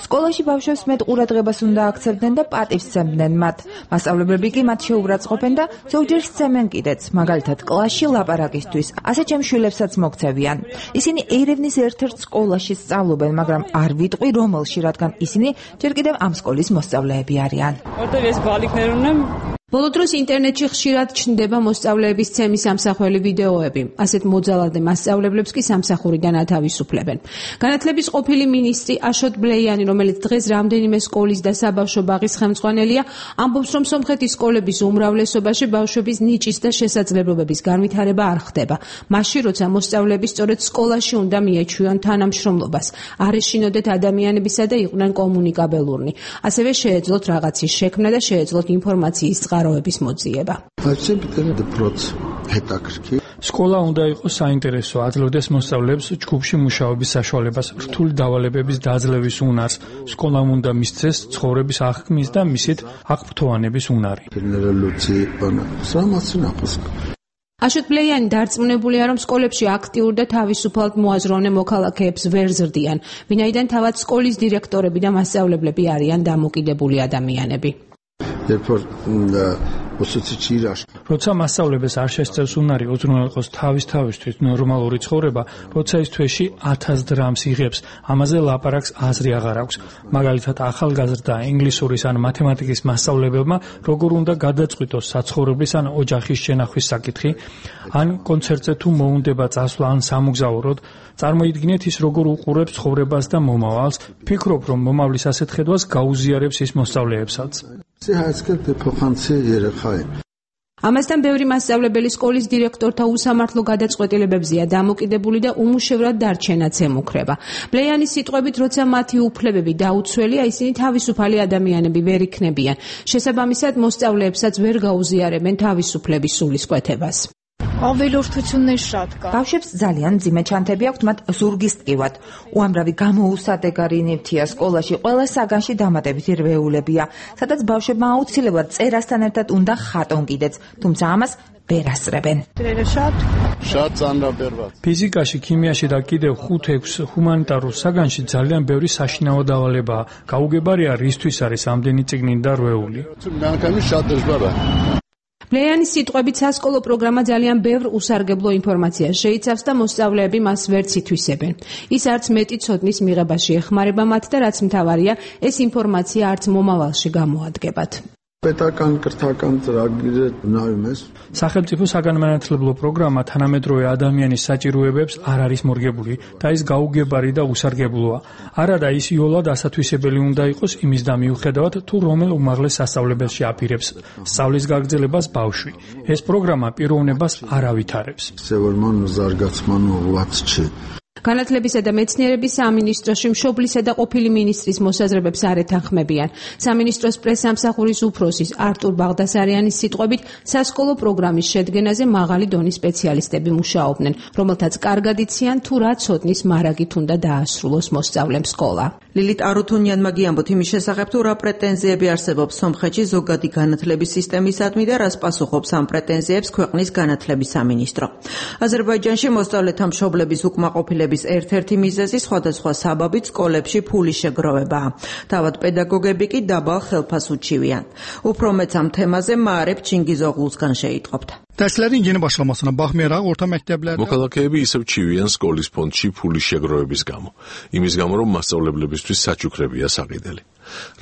სკოლაში ბავშვებს მეტ ყურადღებას უნდა აქცევდნენ და პატივს სცემდნენ მათ. მასწავლებლები კი მათ შეურაცხყოფენ და ზოგჯერ სცემენ კიდეც, მაგალითად კლასში ლაპარაკისთვის. ასე ჩემს შვილებსაც მოქცევიან. ისინი ერევნის ერთ-ერთ სკოლაში სწავლობენ, მაგრამ არ ვიტყვი რომელში, რადგან ისინი ჯერ კიდევ ამ სკოლის მოსწავლეები არიან. ბოლო დროს ინტერნეტში ხშირად ჩნდება მოსწავლეების ცემის სამსახველი ვიდეოები. ასეთ მოძალადე მასწავლებლებს კი სამსახურიდან ათავისუფლებენ. განათლების ყოფილი მინისტრი აშოტ ბლეიანი, რომელიც დღეს რამდენიმე სკოლის და საბავშვო ბაღის ხელმძღვანელია, ამბობს, რომ სომხეთის სკოლების უმრავლესობაში ბავშვების ნიჭის და შესაძლებლობების განვითარება არ ხდება. მაშინ, როცა მოსწავლეები სწორედ სკოლაში უნდა მიეჩვიონ თანამშრომლობას, არ ეშინოდეთ ადამიანებისა და იყვნენ კომუნიკაბელურნი. ასევე შეეძლოთ რაღაცის შექმნა და შეეძლოთ ინფორმაციის წყაროების მოძიება. სკოლა უნდა იყოს საინტერესო, აძლევდეს მოსწავლეებს ჯგუფში მუშაობის საშუალებას, რთული დავალებების დაძლევის უნარს. სკოლამ უნდა მისცეს ცხოვრების აღქმის და მისით აღფრთოვანების უნარი. აშოტ ბლეიანი დარწმუნებულია, რომ სკოლებში აქტიურ და თავისუფალ მოაზროვნე მოქალაქეებს ვერ ზრდიან, ვინაიდან თავად სკოლის დირექტორები და მასწავლებლები არიან დამოკიდებული ადამიანები. როცა მასწავლებელს არ შესწევს უნარი უზრუნველყოს თავისთავისთვის ნორმალური ცხოვრება, როცა ის თვეში 1000 დრამს იღებს, ამაზე ლაპარაკს აზრი აღარ აქვს. მაგალითად, ახალგაზრდა ინგლისურის ან მათემატიკის მასწავლებელმა როგორ უნდა გადაწყვიტოს საცხოვრებლის ან ოჯახის შენახვის საკითხი, ან კონცერტზე თუ მოუნდება წასვლა ან სამოგზაუროდ, წარმოიდგინეთ ის როგორ უყურებს ცხოვრებას და მომავალს, ფიქრობ, რომ მომავლის ასეთ ხედვას გაუზიარებს ის მოსწავლეებსაც. ამასთან ბევრი მასწავლებელი სკოლის დირექტორთა უსამართლო გადაწყვეტილებებზეა დამოკიდებული და უმუშევრად დარჩენაც ემუქრება. ბლეიანის სიტყვებით, როცა მათი უფლებები დაუცველია, ისინი თავისუფალი ადამიანები ვერ იქნებიან. შესაბამისად, მოსწავლეებსაც ვერ გაუზიარებენ თავისუფლების სულისკვეთებას. ბავშვებს ძალიან მძიმე ჩანთები აქვთ მათ ზურგის ტკივად. უამრავი გამოუსადეგარი ნივთია სკოლაში, ყველა საგანში დამატებითი რვეულებია, სადაც ბავშვებმა აუცილებლად წერასთან ერთად უნდა ხატონ კიდეც, თუმცა ამას ვერ ასწრებენ. ფიზიკაში, ქიმიაში და კიდევ 5-6 ჰუმანიტარულ საგანში ძალიან ბევრი საშინაო დავალებაა. გაუგებარია, რისთვის არის ამდენი წიგნი და რვეული. ბლეიანის სიტყვებით, სასკოლო პროგრამა ძალიან ბევრ უსარგებლო ინფორმაციას შეიცავს და მოსწავლეები მას ვერც ითვისებენ. ის არც მეტი ცოდნის მიღებაში ეხმარება მათ და რაც მთავარია, ეს ინფორმაცია არც მომავალში გამოადგებათ. სახელმწიფო საგანმანათლებლო პროგრამა თანამედროვე ადამიანის საჭიროებებს არ არის მორგებული და ის გაუგებარი და უსარგებლოა. არადა ის იოლად ასათვისებელი უნდა იყოს იმის და მიუხედავად თუ რომელ უმაღლეს სასწავლებელში აპირებს სწავლის გაგრძელებას ბავშვი. ეს პროგრამა პიროვნებას არ ავითარებს. განათლებისა და მეცნიერების სამინისტროში მშობლისა და ყოფილი მინისტრის მოსაზრებებს არ ეთანხმებიან. სამინისტროს პრესამსახურის უფროსის არტურ ბაღდასარიანის სიტყვებით, სასკოლო პროგრამის შედგენაზე მაღალი დონის სპეციალისტები მუშაობდნენ, რომელთაც კარგად იციან თუ რა ცოდნის მარაგით უნდა დაასრულოს მოსწავლემ სკოლა. ლილიტ არუთუნიანმა გიამბოთ იმის შესახებ, თუ რა პრეტენზიები არსებობს სომხეთში ზოგადი განათლების სისტემისადმი და რას პასუხობს ამ პრეტენზიებს ქვეყნის განათლების სამინისტრო. აზერბაიჯანში მოსწავლეთა მშობლების უკმაყოფილების ერთ-ერთი მიზეზი სხვადასხვა საბაბით სკოლებში ფულის შეგროვებაა. თავად პედაგოგები კი დაბალ ხელფას უჩივიან. უფრო მეც ამ თემაზე მაარებ ჩინგიზოღლუსგან შეიტყობთ. Dərslərin yeni başlamasına baxmayaraq orta məktəblərdə მოქალაქეები ისევ ჩივიან სკოლის ფონდში ფულის შეგროვების გამო. იმის გამო, რომ მასწავლებლებისთვის საჩუქრებია საყიდელი.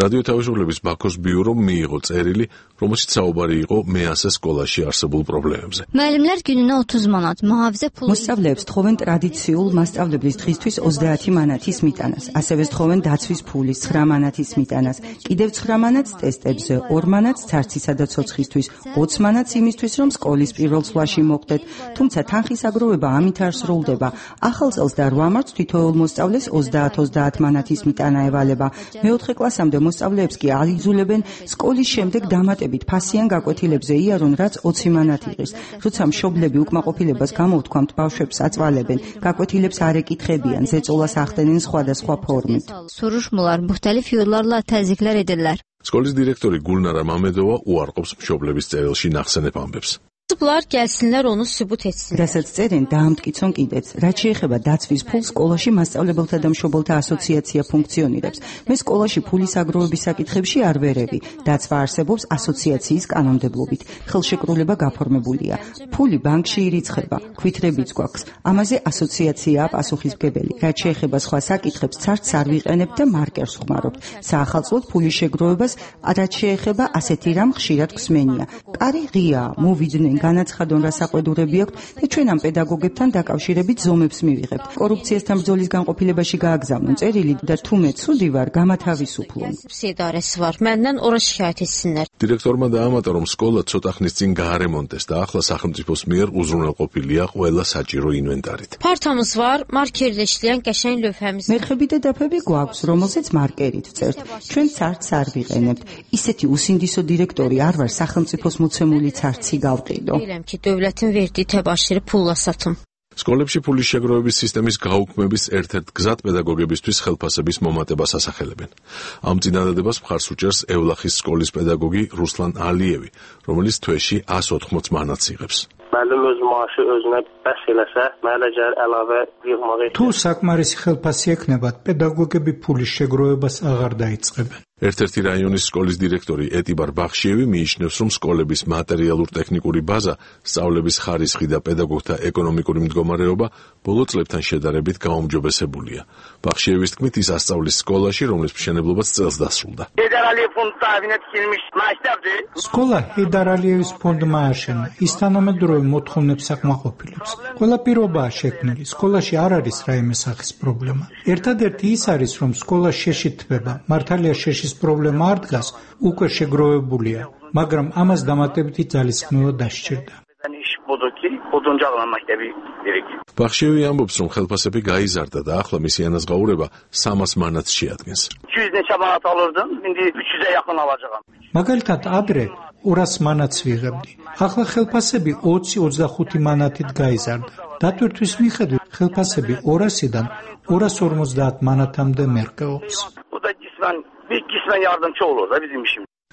რადიო თავისუფლების ბაქოს ბიურომ მიიღო წერილი, რომელშიც საუბარი იყო მე-100 სკოლაში არსებულ პრობლემებზე. Müəllimlər gününə 30 manat, mühafizə pulu. მოსწავლეებს თხოვენ ტრადიციულ მასწავლებლის დღისთვის 30 მანათის მიტანას, ასევე თხოვენ დაცვის ფულის 9 მანათის მიტანას, კიდევ 9 მანათს ტესტებზე, 2 მანათს ცარცისა და ცოცხლისთვის, 20 მანათს იმისთვის, რომ სკოლის პირველ სვლაში მოხვდეთ, თუმცა თანხის აგროვება ამით არ სრულდება. ახალ წელს და 8 მარტს თითოეულ მოსწავლეს 30-30 მანათის მიტანა ევალება. მეოთხე კლასამდე მოსწავლეებს კი აიძულებენ სკოლის შემდეგ დამატებით ფასიან გაკვეთილებზე იარონ, რაც 20 მანათი ღირს. როცა მშობლები უკმაყოფილებას გამოვთქვამთ, ბავშვებს აწვალებენ, გაკვეთილებს არ ეკითხებიან, ზეწოლას ახდენენ სხვადასხვა ფორმით. Soruşmular, müxtəlif yollarla təzyiqlər edirlər. სკოლის დირექტორი გულნარა მამედოვა უარყოფს მშობლების წერილში ნახსენებ ამბებს. Bunlar gəlsinlər onu sübut etsin. რასაც წერენ, დაამტკიცონ კიდეც. რაც შეეხება დაცვის ფულს, სკოლაში მასწავლებელთა და მშობელთა ასოციაცია ფუნქციონირებს. მე სკოლაში ფულის აგროვების საკითხებში არ ვერევი. დაცვა არსებობს ასოციაციის კანონმდებლობით. ხელშეკრულება გაფორმებულია. ფული ბანკში ირიცხება, ქვითრებიც გვაქვს. ამაზე ასოციაციაა პასუხისმგებელი. რაც შეეხება სხვა საკითხებს, ცარცს არ ვიყენებთ და მარკერს ვხმარობთ. საახალწლოდ ფულის შეგროვებას, რაც შეეხება ასეთი რამ ხშირად გვსმენია. კარი ღიაა, მოვიდნენ განაცხადონ რა საყვედურები აქვთ და ჩვენ ამ პედაგოგებთან დაკავშირებით ზომებს მივიღებთ. კორუფციასთან ბრძოლის განყოფილებაში გააგზავნონ წერილი და თუ მე ცუდი ვარ, გამათავისუფლონ. Idarəsi var. Məndən ora şikayət etsinlər. დირექტორმა დაამატა, რომ სკოლა ცოტა ხნის წინ გაარემონტეს და ახლა სახელმწიფოს მიერ უზრუნველყოფილია ყველა საჭირო ინვენტარით. Partamız var, markerlə işləyən qəşəng lövhəmiz. მერხები და დაფები გვაქვს, რომელზეც მარკერით ვწერთ. ჩვენ ცარცს არ ვიყენებთ. ისეთი უსინდისო დირექტორი არ ვარ სახელმწიფოს მოცემული ცარცი გავყიდო. Bilirəm ki, dövlətin verdiyi təbaşiri pulla satım. სკოლებში ფულის შეგროვების სისტემის გაუქმების ერთ-ერთ გზად პედაგოგებისთვის ხელფასების მომატებას ასახელებენ. ამ წინადადებას მხარს უჭერს ევლახის სკოლის პედაგოგი რუსლან ალიევი, რომელიც თვეში 180 მანათს იღებს. Müəllim öz maaşı özünə bəs eləsə, mənə gəlir əlavə yığmağa. თუ საკმარისი ხელფასი ექნებათ, პედაგოგები ფულის შეგროვებას აღარ დაიწყებენ. ერთ-ერთი რაიონის სკოლის დირექტორი ეტიბარ ბახშიევი მიიჩნევს, რომ სკოლების მატერიალურ-ტექნიკური ბაზა, სწავლების ხარისხი და პედაგოგთა ეკონომიკური მდგომარეობა ბოლო წლებთან შედარებით გაუმჯობესებულია. ბახშიევის თქმით, ის ასწავლის სკოლაში, რომლის მშენებლობაც წელს დასრულდა. სკოლა ჰეიდარ ალიევის ფონდმა აშენა. ის თანამედროვე მოთხოვნებს აკმაყოფილებს. ყველა პირობაა შექმნილი. სკოლაში არ არის რაიმე სახის პრობლემა. ერთადერთი ის არის, რომ სკოლა შეშეთება. მართალია შეშის პრობლემა არ დგას, უკვე შეგროვებულია, მაგრამ ამას დამატებითი ძალისხმევა დასჭირდა. ბახშიევი ამბობს, რომ ხელფასები გაიზარდა და ახლა მისი ანაზღაურება 300 მანათს შეადგენს. მაგალითად, ადრე 200 მანათს ვიღებდი. ახლა ხელფასები 20-25 მანათით გაიზარდა. დატვირთვის მიხედვით, ხელფასები 200-დან 250 მანათამდე მერყეობს.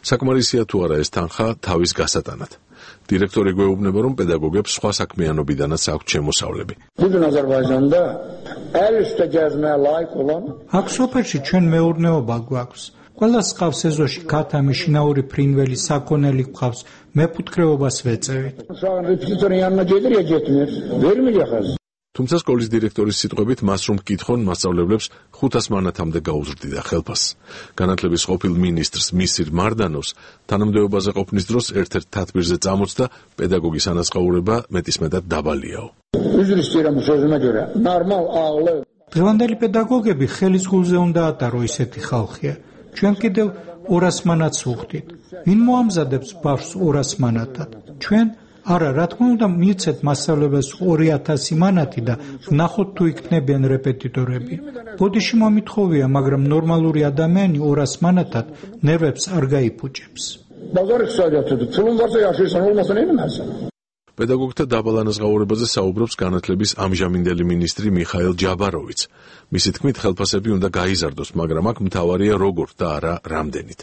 საკმარისია თუ არა ეს თანხა თავის გასატანად. დირექტორი გვეუბნება, რომ პედაგოგებს სხვა საქმიანობიდანაც აქვთ შემოსავლები. აქ სოფელში ჩვენ მეურნეობა გვაქვს. ყველა სყავს ეზოში ქათამი, შინაური ფრინველი, საქონელი გვყავს. მეფუტკრეობას ვეწევით. თუმცა სკოლის დირექტორის სიტყვებით, მას რომ მკითხონ, მასწავლებლებს 500 მანათამდე გაუზრდიდა ხელფასს. განათლების ყოფილ მინისტრს მისირ მარდანოვს თანამდებობაზე ყოფნის დროს ერთ-ერთ თათბირზე წამოწდა პედაგოგის ანაზღაურება მეტისმეტად დაბალიაო. დღევანდელი პედაგოგები ხელის გულზე უნდა ატარო ისეთი ხალხია. ჩვენ კიდევ 200 მანათს ვუხდით. ვინ მოამზადებს ბავშვს 200 მანათად? ჩვენ არა, რა თქმა უნდა, მიცეთ მასწავლებელს 2000 მანათი და ვნახოთ თუ იქნებიან რეპეტიტორები. ბოდიში მომითხოვია, მაგრამ ნორმალური ადამიანი 200 მანათად ნერვებს არ გაიფუჭებს. პედაგოგთა დაბალ ანაზღაურებაზე საუბრობს განათლების ამჟამინდელი მინისტრი მიხაილ ჯაბაროვიც. მისი თქმით, ხელფასები უნდა გაიზარდოს, მაგრამ აქ მთავარია როგორ და არა რამდენით.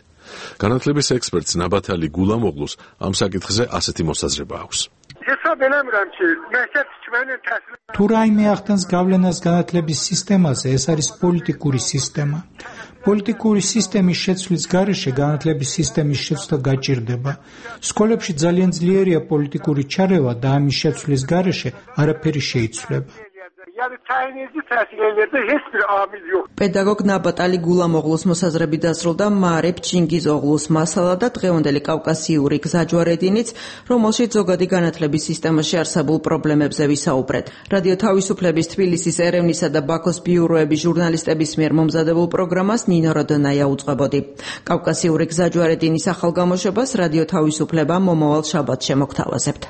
განათლების ექსპერტს ნაბათალი გულამოღლუს ამ საკითხზე ასეთი მოსაზრება აქვს. თუ რაიმე ახდენს გავლენას განათლების სისტემაზე, ეს არის პოლიტიკური სისტემა. პოლიტიკური სისტემის შეცვლის გარეშე განათლების სისტემის შეცვლა გაჭირდება. სკოლებში ძალიან ძლიერია პოლიტიკური ჩარევა და ამის შეცვლის გარეშე არაფერი შეიცვლება. პედაგოგ ნაბატალი გულამოღლუს მოსაზრებით დასრულდა მარებ ჩინგიზოღლუს მასალა და დღევანდელი კავკასიური გზაჯვარედინიც, რომელშიც ზოგადი განათლების სისტემაში არსებულ პრობლემებზე ვისაუბრეთ. რადიო თავისუფლების თბილისის, ერევნისა და ბაქოს ბიუროების ჟურნალისტების მიერ მომზადებულ პროგრამას ნინო როდონაია უძღვებოდი. კავკასიური გზაჯვარედინის ახალ გამოშვებას რადიო თავისუფლება მომავალ შაბათს შემოგთავაზებთ.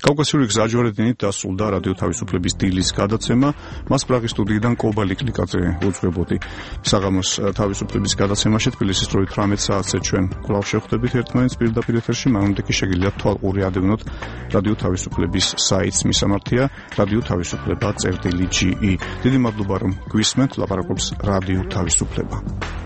კავკასიური გზაჯვარედინით დასრულდა რადიო თავისუფლების დილის გადაცემა. მას პრაღის სტუდიიდან კობა ლიკლიკაძე უძღვებოდი. საღამოს თავისუფლების გადაცემაში თბილისის დროით 18 საათზე ჩვენ კვლავ შევხვდებით ერთმანეთს პირდაპირ ეთერში. მანამდე კი შეგიძლიათ თვალყური ადევნოთ რადიო თავისუფლების საიტს, მისამართია რადიო თავისუფლება.ge. დიდი მადლობა რომ გვისმენთ, ლაპარაკობს რადიო თავისუფლება.